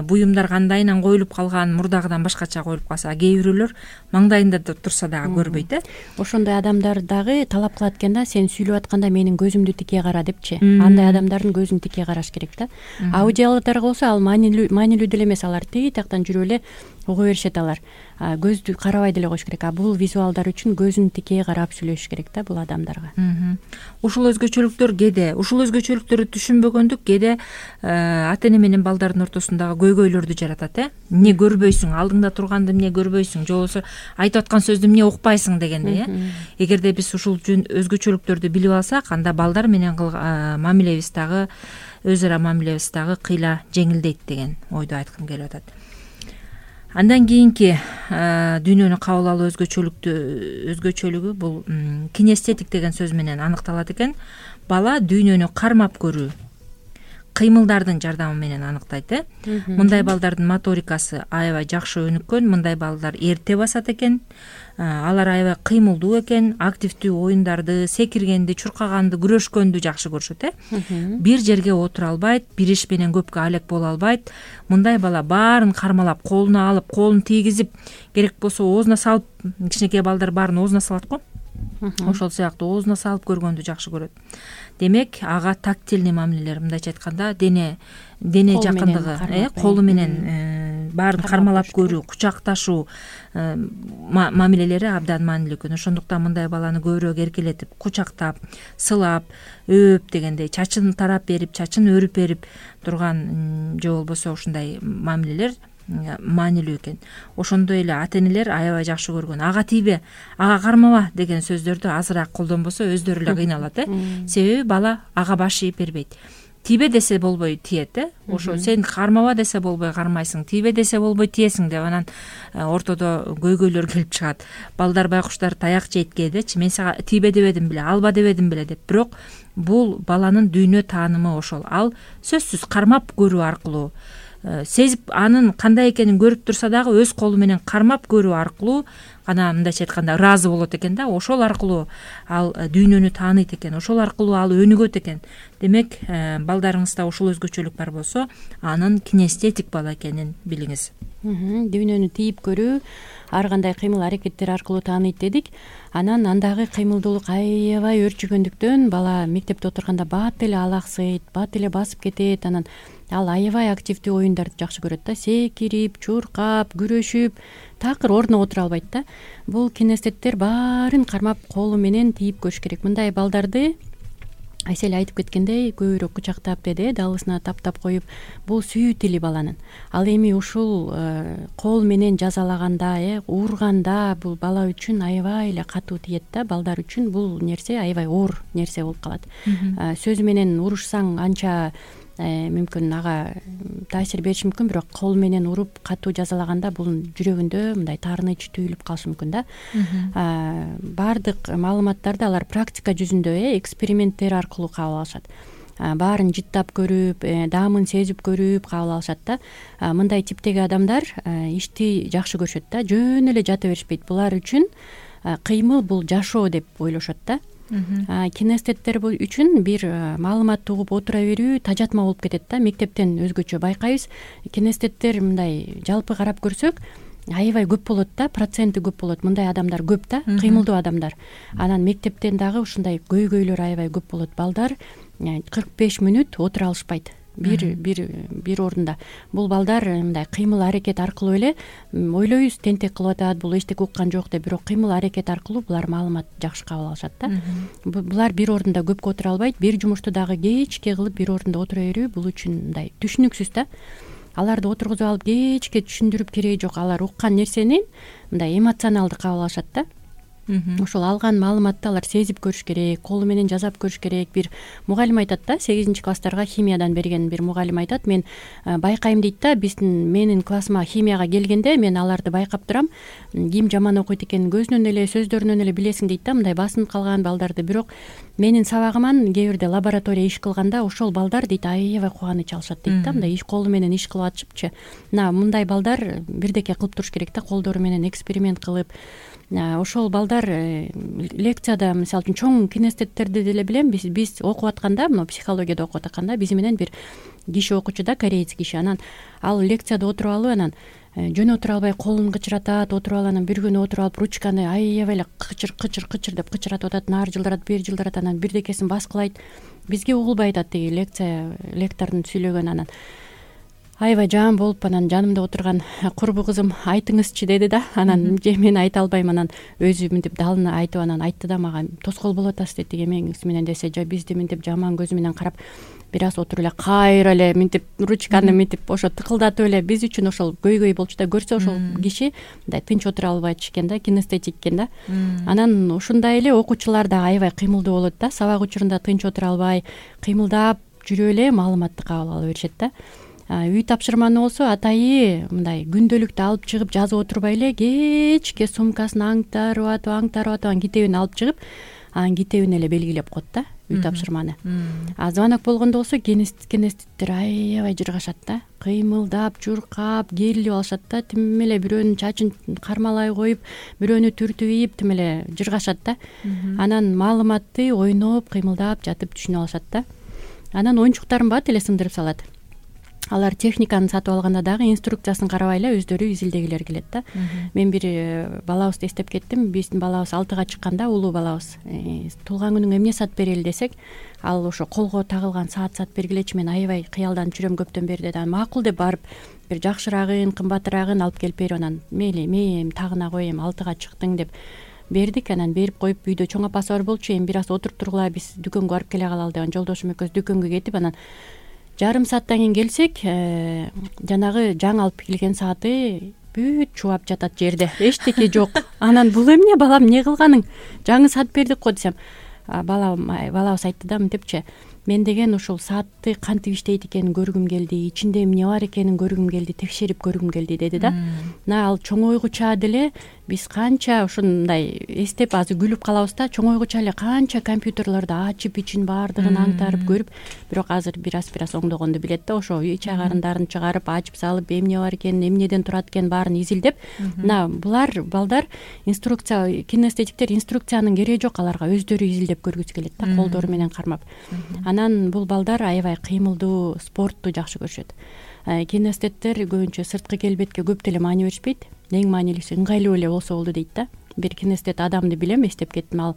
[SPEAKER 2] буюмдар кандайынан коюлуп калган, мурдагыдан башкача коюлуп калса, кээ бирөөлөр маңдайында турса дагы көрбөйт.
[SPEAKER 3] Ошондой адамдар дагы талап кылат экен да, сен сүйлөп атканда менин көзүмдү тикей кара депчи. Андай адамдардын көзүн тикей караш керек да. Аудиалдар болсо ал маанилүү деле эмес, алар тиги тияктан жүрүп эле уга беришет, алар көздү карабай деле коюш керек. А бул визуалдар үчүн көзүн тикей карап сүйлөшүш керек да бул адамдарга.
[SPEAKER 2] Ушул өзгөчөлүктөр кээде, ушул өзгөчөлүктөрдү түшүнбөгөндүк кээде ата эне менен балдардын ортосундагы көйгөйлөрдү жаратат. Эмне көрбөйсүң, алдыңда турганды эмне көрбөйсүң, же болбосо айтып аткан сөздү эмне укпайсың дегендей. Эгерде биз ушул өзгөчөлүктөрдү билип алсак, анда балдар менен мамилебиз дагы, өз ара мамилебиз дагы кыйла жеңилдейт деген ойду айткым келип атат. Андан кийинки дүйнөнү кабыл алуу өзгөчөлүгү бул кинестетик деген сөз менен аныкталат экен. Бала дүйнөнү кармап көрүү, кыймылдардын жардамы менен аныктайт. Мындай балдардын моторикасы аябай жакшы өнүккөн, мындай балдар эрте басат экен. Алар аябай кыймылдуу экен, активдүү оюндарды, секиргенди, чуркаганды, күрөшкөндү жакшы көрүшөт. Бир жерге отура албайт, бир иш менен көпкө алек боло албайт. Мындай бала баарын кармалап, колуна алып, колун тийгизип, керек болсо оозуна салып, кичинекей балдар баарын оозуна салат го. Ошол сыяктуу оозуна салып көргөндү жакшы көрөт. Демек, ага тактильный мамилелер, мындайча айтканда, дене жакындыгы, колу менен баарын кармалап көрүү, кучакташуу мамилелери абдан маанилүү экен. Ошондуктан мындай баланы көбүрөөк эркелетип, кучактап, сылап, өөп дегендей, чачын тарап берип, чачын өрүп берип турган, же болбосо ушундай мамилелер маанилүү экен. Ошондой эле ата энелер аябай жакшы көргөн. Ага тийбе, ага кармаба деген сөздөрдү азыраак колдонбосо өздөрү эле кыйналат. Себеби бала ага баш ийип бербейт. Тийбе десе болбой тиет. Ошо сен кармаба десе болбой кармайсың, тийбе десе болбой тиесиң деп анан ортодо көйгөйлөр келип чыгат. Балдар, байкуштар таяк жейт кээдечи, мен сага тийбе дебедим беле, алба дебедим беле деп. Бирок бул баланын дүйнө таанымы ошол. Ал сөзсүз кармап көрүү аркылуу, сезип анын кандай экенин көрүп турса дагы өз колу менен кармап көрүү аркылуу гана, мындайча айтканда, ыраазы болот экен да. Ошол аркылуу ал дүйнөнү тааныйт экен, ошол аркылуу ал өнүгөт экен. Демек, балдарыңызда ушул өзгөчөлүк бар болсо, анын кинестетик бала экенин билиңиз.
[SPEAKER 3] Дүйнөнү тийип көрүү, ар кандай кыймыл аракеттер аркылуу тааныйт дедик. Анан андагы кыймылдуулук аябай өрчүгөндүктөн бала мектепте отурганда бат эле алаксыйт, бат эле басып кетет. Анан ал аябай активдүү оюндарды жакшы көрөт да, секирип, чуркап, күрөшүп, такыр ордуна отура албайт да. Бул кинестеттер баарын кармап колу менен тийип көрүш керек. Мындай балдарды Айсель айтып кеткендей, көбүрөөк кучактап деди, далысына таптап коюп, бул сүйүү тили баланын. Ал эми ушул кол менен жазалаганда, урганда бул бала үчүн аябай эле катуу тиет да. Балдар үчүн бул нерсе аябай оор нерсе болуп калат. Сөз менен урушсаң анча мүмкүн ага таасир бериши мүмкүн, бирок кол менен уруп катуу жазалаганда бул жүрөгүндө мындай таарыныч түйүлүп калышы мүмкүн да. Баардык маалыматтарды алар практика жүзүндө, эксперименттер аркылуу кабыл алышат. Баарын жыттап көрүп, даамын сезип көрүп кабыл алышат да. Мындай типтеги адамдар ишти жакшы көрүшөт да, жөн эле жата беришпейт. Булар үчүн кыймыл бул жашоо деп ойлошот да. Кинестеттер үчүн бир маалыматты угуп отура берүү тажатма болуп кетет да. Мектептен өзгөчө байкайбыз. Кинестеттер мындай жалпы карап көрсөк аябай көп болот да, проценти көп болот. Мындай адамдар көп да, кыймылдуу адамдар. Анан мектептен дагы ушундай көйгөйлөр аябай көп болот. Балдар 45 мүнөт отура алышпайт бир ордунда. Бул балдар мындай кыймыл аракет аркылуу эле ойлойбуз, тентек кылып атат, бул эчтеке уккан жок деп, бирок кыймыл аракет аркылуу булар маалымат жакшы кабыл алышат да. Булар бир ордунда көпкө отура албайт. Бир жумушту дагы кечке кылып бир ордунда отура берүү бул үчүн мындай түшүнүксүз да. Аларды отургузуп алып кечке түшүндүрүп кереги жок. Алар уккан нерсени мындай эмоционалдуу кабыл алышат да. Ошол алган маалыматты алар сезип көрүш керек, колу менен жазап көрүш керек. Бир мугалим айтат да, 8-класстарга химиядан берген бир мугалим айтат, мен байкайм дейт да, менин классыма химияга келгенде мен аларды байкап турам, ким жаман окуйт экенин көзүнөн эле, сөздөрүнөн эле билесиң дейт да, мындай басынып калган балдарды. Бирок менин сабагыман кээ бирде лаборатория иш кылганда ошол балдар дейт аябай кубаныч алышат дейт да, мындай колу менен иш кылып атышыпчы. Мындай балдар бирдеке кылып туруш керек да, колдору менен эксперимент кылып, ошол балдар лекцияда мисалы үчүн чоң кинестеттерди деле билем. Биз окуп атканда, мына психологияда окуп атканда биз менен бир киши окучу да, кореец киши. Анан ал лекцияда отуруп алып, анан жөн отура албай колун кычыратат, отуруп алып, анан бир күнү отуруп алып ручканы аябай эле кычыр деп кычыратып атат, нары жылдырат, бери жылдырат, анан бирдекесин баскылайт. Бизге угулбай атат тиги лектордун сүйлөгөнү. Анан аябай жаман болуп, анан жанымда отурган курбу кызым айтыңызчы деди да. Анан мен айта албайм, анан өзү мынтип далына айтып, анан айтты да мага, тоскоол болуп атасыз деди эмеңиз менен десе, бизди мынтип жаман көзү менен карап, бир аз отуруп эле кайра эле мынтип ручканы мынтип ошо тыкылдатып эле, биз үчүн ошол көйгөй болчу да. Көрсө ошол киши мындай тынч отура албайчу экен да, кинестетик экен да. Анан ушундай эле окуучулар да аябай кыймылдуу болот да, сабак учурунда тынч отура албай кыймылдап жүрүп эле маалыматты кабыл ала беришет да. Үй тапшырманы болсо атайы мындай күндөлүктү алып чыгып жазып отурбай эле кечке сумкасын аңтарып атып анан китебин алып чыгып, анан китебин эле белгилеп коет да үй тапшырманы. Звонок болгондо болсо кинестеттер аябай жыргашат да, кыймылдап, чуркап, керилип алышат да, тим эле бирөөнүн чачын кармалай коюп, бирөөнү түртүп ийип тим эле жыргашат да. Анан маалыматты ойноп, кыймылдап жатып түшүнүп алышат да. Анан оюнчуктарын бат эле сындырып салат. Алар техниканы сатып алганда дагы инструкциясын карабай эле өздөрү изилдегилер келет да. Мен бир балабызды эстеп кеттим. Биздин балабыз 6-га чыкканда, улуу балабыз, туулган күнүңө эмне саат берели десек, ал ошо колго тагылган саат бергилечи, мен аябай кыялданып жүрөм көптөн бери деди. Макул деп барып бир жакшыраагын, кымбатыраагын алып келип берип, анан мейли мен тагына коем, 6-га чыктың деп бердик. Анан берип коюп, үйдө чоң апасы бар болчу, эми бир аз отуруп тургула, биз дүкөнгө барып келе калалы деп, жолдошум экөөбүз дүкөнгө кетип, анан жарым сааттан кийин келсек, жанагы жаңы алып келген сааты бүт чубап жатат жерде, эчтеке жок. Анан бул эмне балам, эмне кылганың, жаңы саат бердик го десем, балабыз айтты да мынтипчи, мен деген ушул саатты кантип иштейт экенин көргүм келди, ичинде эмне бар экенин көргүм келди, текшерип көргүм келди деди да. Мына ал чоңойгуча деле биз канча ушундай эстеп азыр күлүп калабыз да, чоңойгуча эле канча компьютерлерди ачып, ичин баардыгын аңтарып көрүп, бирок азыр бир аз оңдогонду билет да. Ошо ич агарындарын чыгарып, ачып салып, эмне бар экенин, эмнеден турат экенин баарын изилдеп, мына булар балдар инструкция, кинестетиктер инструкциянын кереги жок, аларга өздөрү изилдеп көргүсү келет да, колдору менен кармап. Анан бул балдар аябай кыймылдуу, спортту жакшы көрүшөт. Кинестеттер көбүнчө сырткы келбетке көп деле маани беришпейт. Эң маанилүүсү ыңгайлуу эле болсо болду дейт да. Бир кинестет адамды билем, эстеп кеттим, ал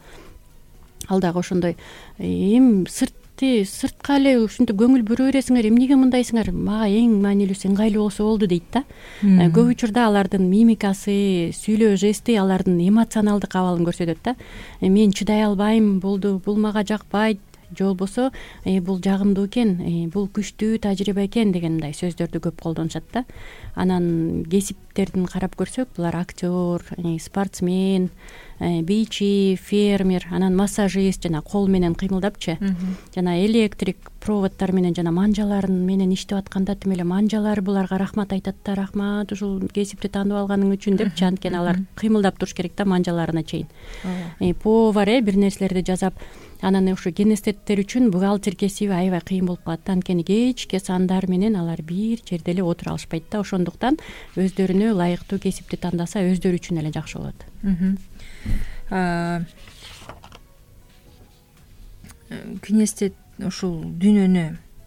[SPEAKER 3] дагы ошондой, эми сыртка эле ушинтип көңүл буруу бересиңер, эмнеге мындайсыңар, мага эң маанилүүсү ыңгайлуу болсо болду дейт да. Көп учурда алардын мимикасы, сүйлөө жести алардын эмоционалдык абалын көрсөтөт да. Мен чыдай албайм, бул мага жакпайт, же болбосо бул жагымдуу экен, бул күчтүү тажрыйба экен деген мындай сөздөрдү көп колдонушат да. Анан кесиптердин карап көрсөк, булар актер, спортсмен, бийчи, фермер, анан массажист, жана кол менен кыймылдапчы, жана электрик проводдор менен жана манжаларын менен иштеп атканда тим эле манжалар буларга рахмат айтат да, рахмат ушул кесипти таанып алганың үчүн депчи, анткени алар кыймылдап туруш керек да манжаларына чейин. Повар бир нерселерди жасап, анан ушу кинестеттер үчүн бухгалтер кесиби аябай кыйын болуп калат да, анткени кечке сандар менен алар бир жерде эле отура алышпайт да. Ошондуктан өздөрүнө ылайыктуу кесипти тандаса өздөрү үчүн эле жакшы болот.
[SPEAKER 2] Кинестет ушул дүйнөнү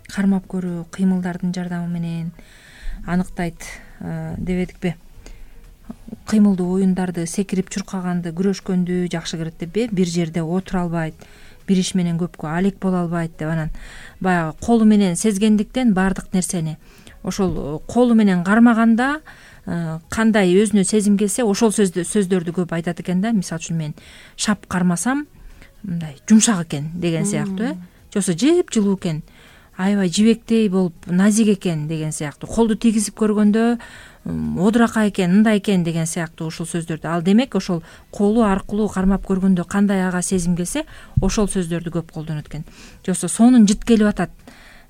[SPEAKER 2] кармап көрүү, кыймылдардын жардамы менен аныктайт деп эдикпи? Кыймылдуу оюндарды, секирип чуркаганды, күрөшкөндү жакшы көрөт деппи? Бир жерде отура албайт, бир иш менен көпкө алек боло албайт деп, анан баягы колу менен сезгендиктен баардык нерсени ошол колу менен кармаганда кандай өзүнө сезим келсе ошол сөздөрдү көп айтат экен да. Мисалы үчүн мен шап кармасам мындай жумшак экен деген сыяктуу, же болбосо жыпжылуу экен, аябай жибектей болуп назик экен деген сыяктуу, колду тийгизип көргөндө одуракай экен, мындай экен деген сыяктуу ушул сөздөрдү. Ал демек ошол колу аркылуу кармап көргөндө кандай ага сезим келсе ошол сөздөрдү көп колдонот экен. Же болбосо сонун жыт келип атат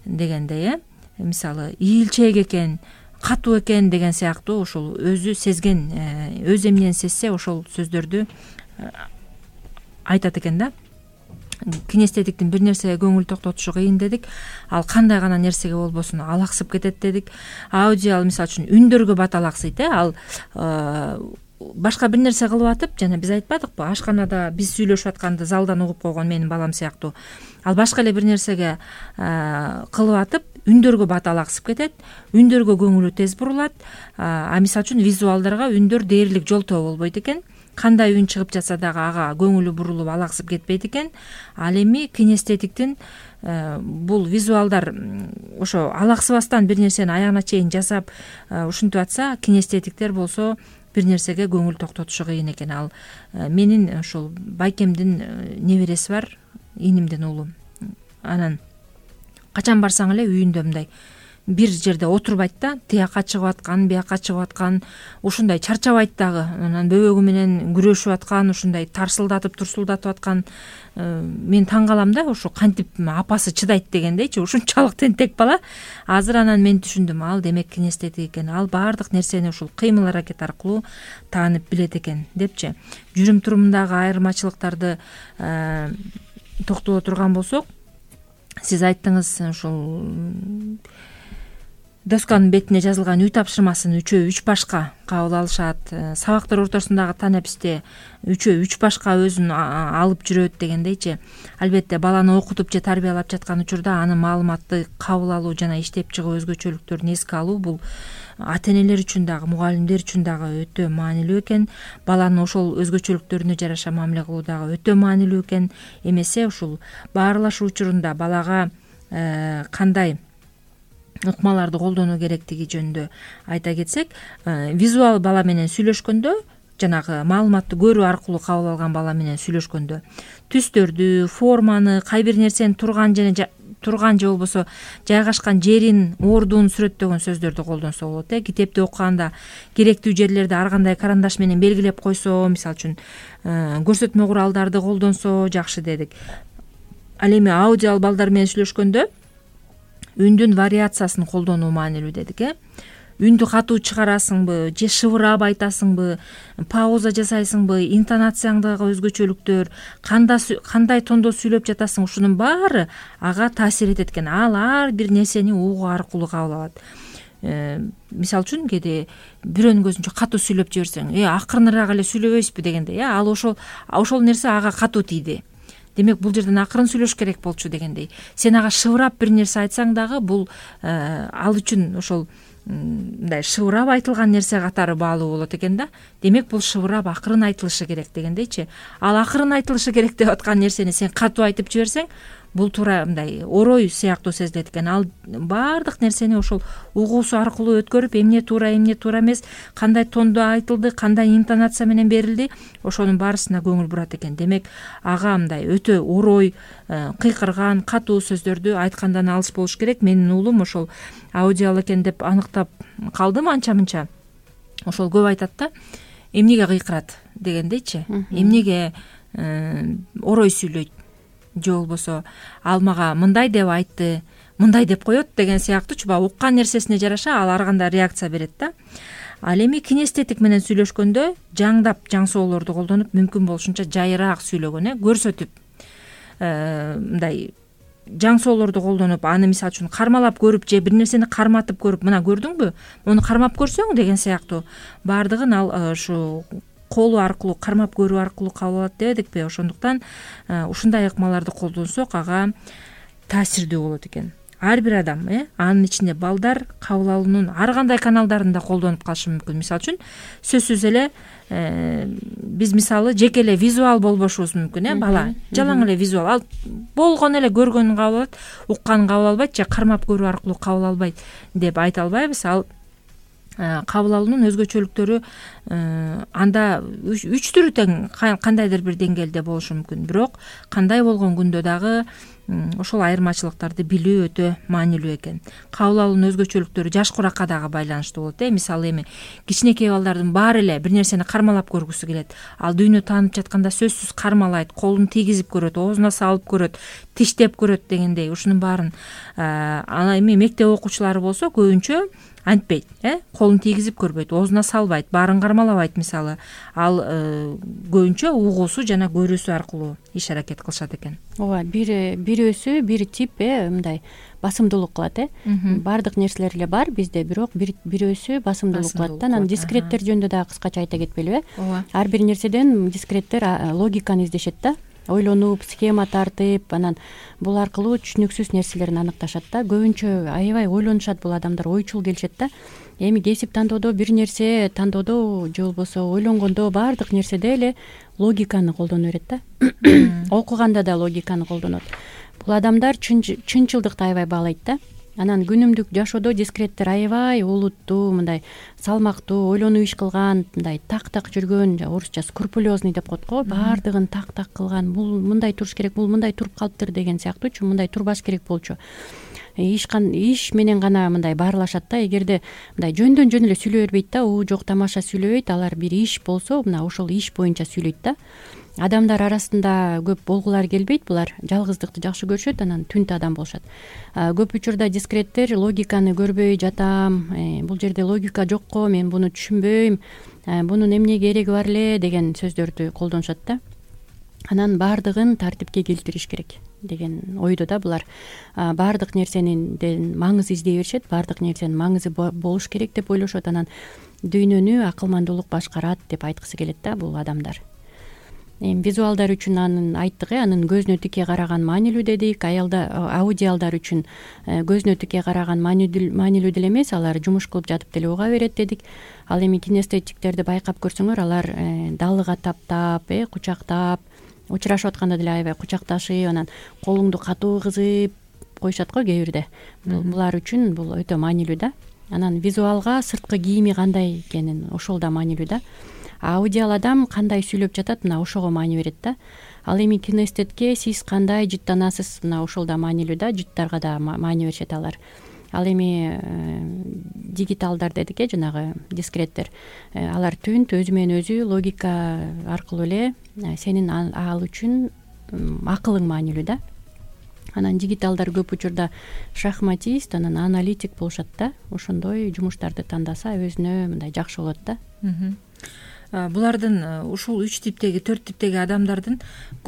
[SPEAKER 2] дегендей, мисалы ийилчээк экен, катуу экен деген сыяктуу ушул өзү сезген, өз эмнени сезсе ошол сөздөрдү айтат экен да. Кинестетиктин бир нерсеге көңүл токтотушу кыйын дедик. Ал кандай гана нерсеге болбосун алаксып кетет дедик. Аудиал мисалы үчүн үндөргө бат алаксыйт, ал башка бир нерсе кылып атып, жана биз айтпадыкпы, ашканада биз сүйлөшүп атканды залдан угуп койгон менин балам сыяктуу, ал башка эле бир нерсеге кылып атып үндөргө баталаксып кетет, үндөргө көңүлү тез бурулат. Мисалы үчүн визуалдарга үндөр дээрлик жолтоо болбойт экен. Кандай үн чыгып жатса дагы ага көңүлү бурулуп алаксып кетпейт экен. Ал эми кинестетиктин бул визуалдар ошо алаксыбастан бир нерсени аягына чейин жасап ушинтип атса, кинестетиктер болсо бир нерсеге көңүл токтотушу кыйын экен. Ал менин ушул байкемдин небереси бар, инимдин уулу. Анан качан барсаң эле үйүндө мындай бир жерде отурбайт да, тияка чыгып аткан, бияка чыгып аткан, ушундай чарчабайт дагы. Анан бөбөгү менен күрөшүп аткан, ушундай тарсылдатып турсулдатып аткан. Мен таң калам да, ушу кантип апасы чыдайт дегендейчи, ушунчалык тентек бала. Азыр анан мен түшүндүм, ал демек кинестетик экен. Ал баардык нерсени ушул кыймыл аракет аркылуу таанып билет экен депчи. Жүрүм турумундагы айырмачылыктарды токтоло турган болсок, сиз айттыңыз, ушул досканын бетине жазылган үй тапшырмасын үчөө үч башка кабыл алышат. Сабактар ортосундагы танеписте үчөө үч башка өзүн алып жүрөт дегендейчи. Албетте баланы окутуп же тарбиялап жаткан учурда анын маалыматты кабыл алуу жана иштеп чыгуу өзгөчөлүктөрүн эске алуу бул ата-энелер үчүн дагы, мугалимдер үчүн дагы өтө маанилүү экен. Баланын ошол өзгөчөлүктөрүнө жараша мамиле кылуу дагы өтө маанилүү экен. Эмесе ушул баарлашуу учурунда балага кандай ыкмаларды колдонуу керектиги жөнүндө айта кетсек, визуал бала менен сүйлөшкөндө, жанагы маалыматты көрүү аркылуу кабыл алган бала менен сүйлөшкөндө түстөрдү, форманы, кай бир нерсенин турган же болбосо жайгашкан жерин, ордун сүрөттөгөн сөздөрдү колдонсо болот. Китепти окуганда керектүү жерлерди ар кандай карандаш менен белгилеп койсо, мисалы үчүн көрсөтмө куралдарды колдонсо жакшы дедик. Ал эми аудиал балдар менен сүйлөшкөндө үндүн вариациясын колдонуу маанилүү дедик. Үндү катуу чыгарасыңбы же шыбырап айтасыңбы, пауза жасайсыңбы, интонацияңдагы өзгөчөлүктөр, кандай тондо сүйлөп жатасың, ушунун баары ага таасир этет экен. Ал ар бир нерсени угуу аркылуу кабыл алат. Мисалы үчүн кээде бирөөнүн көзүнчө катуу сүйлөп жиберсең, акырыныраак эле сүйлөбөйсүзбү дегендей, ал ошол нерсе ага катуу тийди. Демек бул жерден акырын сүйлөш керек болчу дегендей. Сен ага шыбырап бир нерсе айтсаң дагы бул ал үчүн ошол мындай шыбырап айтылган нерсе катары баалуу болот экен да. Демек бул шыбырап акырын айтылышы керек дегендейчи. Ал акырын айтылышы керек деп аткан нерсени сен катуу айтып жиберсең, бул туура мындай орой сыяктуу сезилет экен. Ал баардык нерсени ошол угуусу аркылуу өткөрүп, эмне туура эмес, кандай тондо айтылды, кандай интонация менен берилди, ошонун баарысына көңүл бурат экен. Демек ага мындай өтө орой, кыйкырган, катуу сөздөрдү айткандан алыс болуш керек. Менин уулум ошол аудиал экен деп аныктап калдым анча-мынча. Ошол көп айтат да, эмнеге кыйкырат дегендейчи, эмнеге орой сүйлөйт, же болбосо ал мага мындай деп айтты, мындай деп коет деген сыяктуучу, уккан нерсесине жараша ал ар кандай реакция берет да. Ал эми кинестетик менен сүйлөшкөндө жаңдап жаңсоолорду колдонуп, мүмкүн болушунча жайыраак сүйлөгөн, көрсөтүп мындай жаңсоолорду колдонуп, аны мисалы үчүн кармалап көрүп же бир нерсени карматып көрүп, мына көрдүңбү, муну кармап көрсөң деген сыяктуу баардыгын ал ушу колу аркылуу, кармап көрүү аркылуу кабыл алат дебедикпи? Ошондуктан ушундай ыкмаларды колдонсок ага таасирдүү болот экен. Ар бир адам, анын ичинде балдар кабыл алуунун ар кандай каналдарында колдонуп калышы мүмкүн. Мисалы үчүн сөзсүз эле биз мисалы жеке эле визуал болбошубуз мүмкүн, бала жалаң эле визуал, ал болгон эле көргөнүн кабыл алат, укканын кабыл албайт же кармап көрүү аркылуу кабыл албайт деп айта албайбыз. Ал кабыл алуунун өзгөчөлүктөрү анда үч түрү тең кандайдыр бир деңгээлде болушу мүмкүн. Бирок кандай болгон күндө дагы ошол айырмачылыктарды билүү өтө маанилүү экен. Кабыл алуунун өзгөчөлүктөрү жаш куракка дагы байланыштуу болот. Мисалы эми кичинекей балдардын баары эле бир нерсени кармалап көргүсү келет. Ал дүйнө таанып жатканда сөзсүз кармалайт, колун тийгизип көрөт, оозуна салып көрөт, тиштеп көрөт дегендей. Ушунун баарын ана эми мектеп окуучулары болсо көбүнчө антпейт, колун тийгизип көрбөйт, оозуна салбайт, баарын кармалабайт. Мисалы ал көбүнчө угуусу жана көрүүсү аркылуу иш аракет кылышат экен.
[SPEAKER 3] ооба, бирөөсү бир тип мындай басымдуулук кылат. Баардык нерселер эле бар бизде, бирок бирөөсү басымдуулук кылат да. Анан дискреттер жөнүндө дагы кыскача айта кетпелиби?
[SPEAKER 2] Ооба.
[SPEAKER 3] Ар бир нерседен дискреттер логиканы издешет да. Ойлонуп, схема тартып, анан бул аркылуу түшүнүксүз нерселерин аныкташат да. Көбүнчө аябай ойлонушат бул адамдар, ойчул келишет да. Эми кесип тандоодо бир нерсе тандоодо же болбосо ойлонгондо баардык нерседе эле логиканы колдоно берет да. Окуганда да логиканы колдонот. Бул адамдар чынчылдыкты аябай баалайт да. Анан күнүмдүк жашоодо дискреттер аябай олуттуу, мындай салмактуу, ойлонуп иш кылган, мындай так жүргөн, орусча скрупулезный деп коет го, баардыгын так кылган, бул мындай туруш керек, бул мындай туруп калыптыр деген сыяктуучу, мындай турбаш керек болчу. Иш менен гана мындай баарлашат да. Эгерде мындай жөндөн жөн эле сүйлөй бербейт да, жок тамаша сүйлөбөйт, алар бир иш болсо мына ошол иш боюнча сүйлөйт да. Адамдар арасында көп болгулар келбейт, булар жалгыздыкты жакшы көрүшөт, анан түнт адам болушат. Көп учурда дискреттер логиканы көрбөй жатам, бул жерде логика жокко, мен буну түшүнбөйм, бунун эмне кереги бар эле деген сөздөрдү колдонушат да. Анан баардыгын тартипке келтириш керек деген ойдо да булар. Баардык нерсенин маңызы издей беришет, баардык нерсенин маңызы болуш керек деп ойлошот. Анан дүйнөнү акылмандуулук башкарат деп айткысы келет да бул адамдар. Визуалдар үчүн анын айттык, анын көзүнө тике караган маанилүү дедик. Аудиалдар үчүн көзүнө тике караган маанилүү деле эмес, алар жумуш кылып жатып деле уга берет дедик. Ал эми кинестетиктерди байкап көрсөңөр, алар далыга таптап, кучактап, учурашып атканда деле аябай кучакташып, анан колуңду катуу кызып коюшат го кээ бирде. Булар үчүн бул өтө маанилүү да. Анан визуалга сырткы кийими кандай экенин ошол да маанилүү да. Аудиал адам кандай сүйлөп жатат, мына ошого маани берет да. Ал эми кинестетке сиз кандай жыттанасыз, мына ошол да маанилүү да. Жыттарга да маани беришет алар. Ал эми дигиталдар дедик, жанагы дискреттер. Алар түнт өзү менен өзү логика аркылуу эле сенин ал үчүн акылың маанилүү да. Анан дигиталдар көп учурда шахматист, анан аналитик болушат да. Ошондой жумуштарды тандаса өзүнө мындай жакшы болот да.
[SPEAKER 2] Булардын ушул 3 типтеги, 4 типтеги адамдардын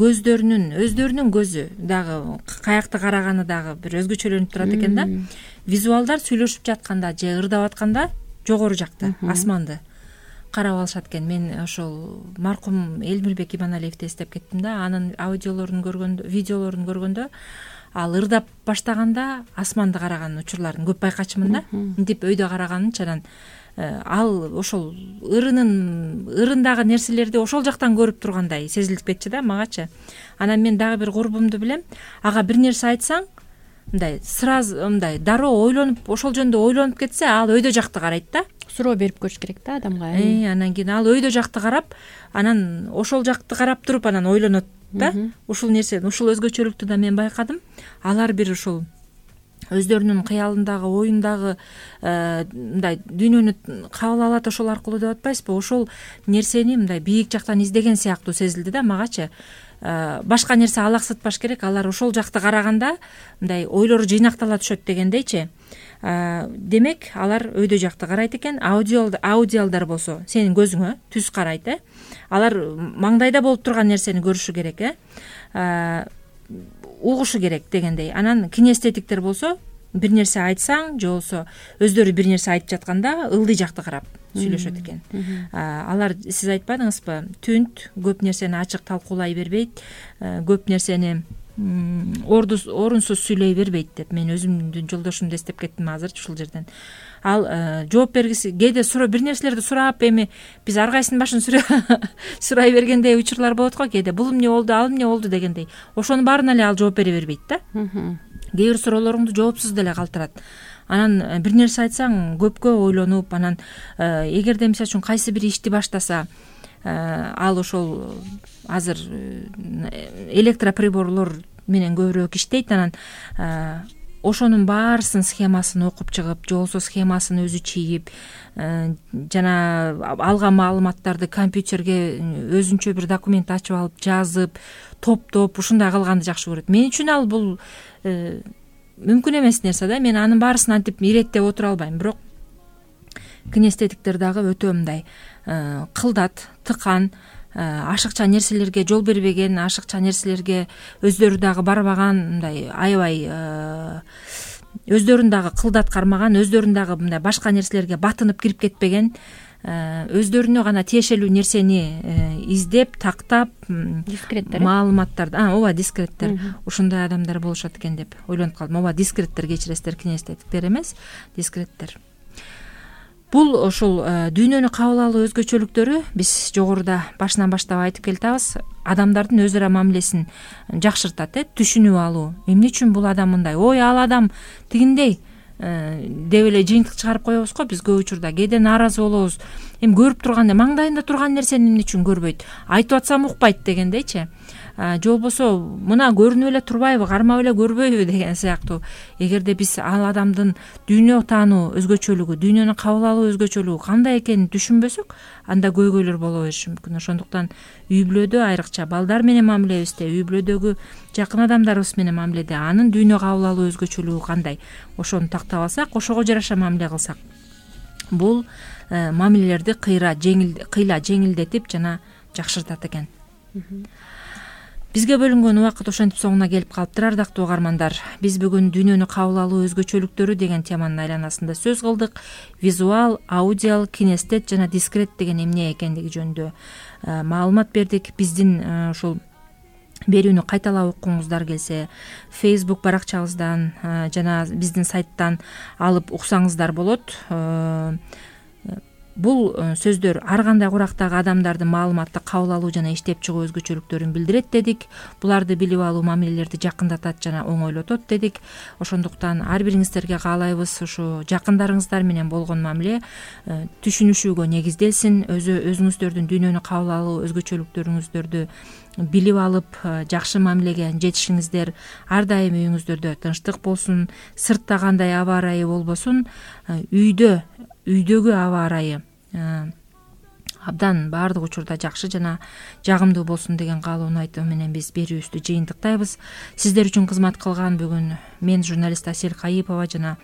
[SPEAKER 2] өздөрүнүн көзү дагы каякта караганы дагы бир өзгөчөлөнүп турат экен да. Визуалдар сүйлөшүп жатканда же ырдап атканда жогору жакта асманды карап алышат экен. Мен ошол маркум Элмирбек Иманалиевди эстеп кеттим да. Анын видеолорун көргөндө ал ырдап баштаганда асманды караган учурларын көп байкачумун да. Мынтип өйдө караганынча, анан ал ошол ырындагы нерселерди ошол жактан көрүп тургандай сезилип кетчү да магачы. Анан мен дагы бир курбумду билем, ага бир нерсе айтсаң, мындай сразу мындай дароо ойлонуп, ошол жөнүндө ойлонуп кетсе, ал өйдө жакты карайт да.
[SPEAKER 3] Суроо берип көрүш керек да адамга.
[SPEAKER 2] Анан кийин ал өйдө жакты карап, анан ошол жакты карап туруп анан ойлонот да. Ушул нерсе, ушул өзгөчөлүктү да мен байкадым. Алар бир ушул өздөрүнүн кыялындагы, оюндагы мындай дүйнөнү кабыл алат ошол аркылуу деп атпайсызбы? Ошол нерсени мындай бийик жактан издеген сыяктуу сезилди да магачы. Башка нерсе алаксытпаш керек, алар ошол жакты караганда мындай ойлору жыйнактала түшөт дегендейчи. Демек, алар өйдө жакты карайт экен. Аудиалдар болсо сенин көзүңө түз карайт, алар маңдайда болуп турган нерсени көрүшү керек, угушу керек дегендей. Анан кинестетиктер болсо бир нерсе айтсаң, же болсо өздөрү бир нерсе айтып жатканда ылдый жакты карап сүйлөшөт экен. Алар, сиз айтпадыңызбы, түнт көп нерсени ачык талкуулай бербейт, көп нерсени орунсуз сүйлөй бербейт деп мен өзүмдүн жолдошумду эстеп кеттим азыр ушул жерден. Ал жооп бергиси, кээде бир нерселерди сурап, эми биз ар кайсынын башын сурай бергендей учурлар болот го, кээде бул эмне болду, ал эмне болду дегендей. Ошонун баарына эле ал жооп бере бербейт да. Кээ бир суроолоруңду жоопсуз деле калтырат. Анан бир нерсе айтсаң, көпкө ойлонуп, анан эгерде мисалы үчүн кайсы бир ишти баштаса, ал ошол азыр электроприборлор менен көбүрөөк иштейт, анан ошонун баарысын схемасын окуп чыгып, же болбосо схемасын өзү чийип, жана алган маалыматтарды компьютерге өзүнчө бир документ ачып алып, жазып, топтоп, ушундай кылганды жакшы көрөт. Мен үчүн ал бул мүмкүн эмес нерсе да. Мен анын баарысын антип иреттеп отура албайм, бирок кинестетиктер дагы өтө мындай кылдат, тыкан, ашыкча нерселерге жол бербеген, ашыкча нерселерге өздөрү дагы барбаган, мындай аябай өздөрүн дагы кылды аткармаган, өздөрүн дагы мындай башка нерселерге батынып кирип кетпеген, өздөрүнө гана тиешелүү нерсени издеп, тактап,
[SPEAKER 3] дискреттер,
[SPEAKER 2] маалыматтарды, ооба, дискреттер, ушундай адамдар болушат экен деп ойлонуп калдым. Ооба, дискреттер, кечиресиздер, кинестеттиктер эмес, дискреттер. Бул ушул дүйнөнү кабыл алуу өзгөчөлүктөрү биз жогоруда башынан баштап айтып келатабыз. Адамдардын өз ара мамилесин жакшыртат, түшүнүп алуу. Эмне үчүн бул адам мындай? Ой, ал адам тигиндей деп эле жыйынтык чыгарып коебуз го биз көп учурда. Кээде нааразы болобуз. Эми көрүп турганда маңдайында турган нерсени эмне үчүн көрбөйт? Айтып атсам укпайт дегендейчи. Же болбосо мына көрүнүп эле турбайбы, кармап эле көрбөйбү деген сыяктуу. Эгерде биз ал адамдын дүйнө таануу өзгөчөлүгү, дүйнөнү кабыл алуу өзгөчөлүгү кандай экенин түшүнбөсөк, анда көйгөйлөр боло бериши мүмкүн. Ошондуктан үй бүлөдө, айрыкча балдар менен мамилебизде, үй бүлөдөгү жакын адамдарыбыз менен мамиледе анын дүйнө кабыл алуу өзгөчөлүгү кандай, ошону тактап алсак, ошого жараша мамиле кылсак, бул мамилелерди кыйла жеңилдетип жана жакшыртат экен. Бизге бөлүнгөн убакыт ошентип соңуна келип калыптыр, ардактуу угармандар. Биз бүгүн дүйнөнү кабыл алуу өзгөчөлүктөрү деген теманын айланасында сөз кылдык. Визуал, аудиал, кинестет жана дискрет деген эмне экендиги жөнүндө маалымат бердик. Биздин ушул берүүнү кайталап окуңуздар келсе, Facebook баракчабыздан жана биздин сайттан алып уксаңыздар болот. Бул сөздөр ар кандай курактагы адамдардын маалыматты кабыл алуу жана иштеп чыгуу өзгөчөлүктөрүн билдирет дедик. Буларды билип алуу мамилелерди жакындатат жана оңойлотот дедик. Ошондуктан ар бириңиздерге каалайбыз ушу жакындарыңыздар менен болгон мамиле түшүнүшүүгө негизделсин. Өзүңүздөрдүн дүйнөнү кабыл алуу өзгөчөлүктөрүңүздөрдү билип алып, жакшы мамилеге жетишиңиздер. Ар дайым үйүңүздөрдө тынчтык болсун, сыртта кандай аба ырайы болбосун, үйдөгү аба ырайы абдан баардык учурда жакшы жана жагымдуу болсун деген каалоону айтуу менен биз берүүбүздү жыйынтыктайбыз. Сиздер үчүн кызмат кылган бүгүн мен журналист Асель Кайыпова жана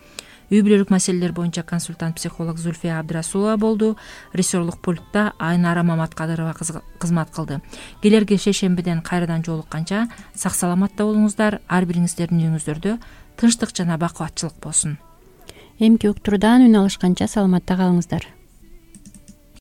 [SPEAKER 2] үй бүлөлүк маселелер боюнча консультант психолог Зульфия Абдрасулова болду. Режиссерлук пультта Айнара Маматкадырова кызмат кылды. Келерки шейшембиден кайрадан жолукканча сак саламатта болуңуздар. Ар бириңиздердин үйүңүздөрдө тынчтык жана бакубатчылык болсун.
[SPEAKER 3] Эмки уктуруудан үн алышканча саламатта калыңыздар.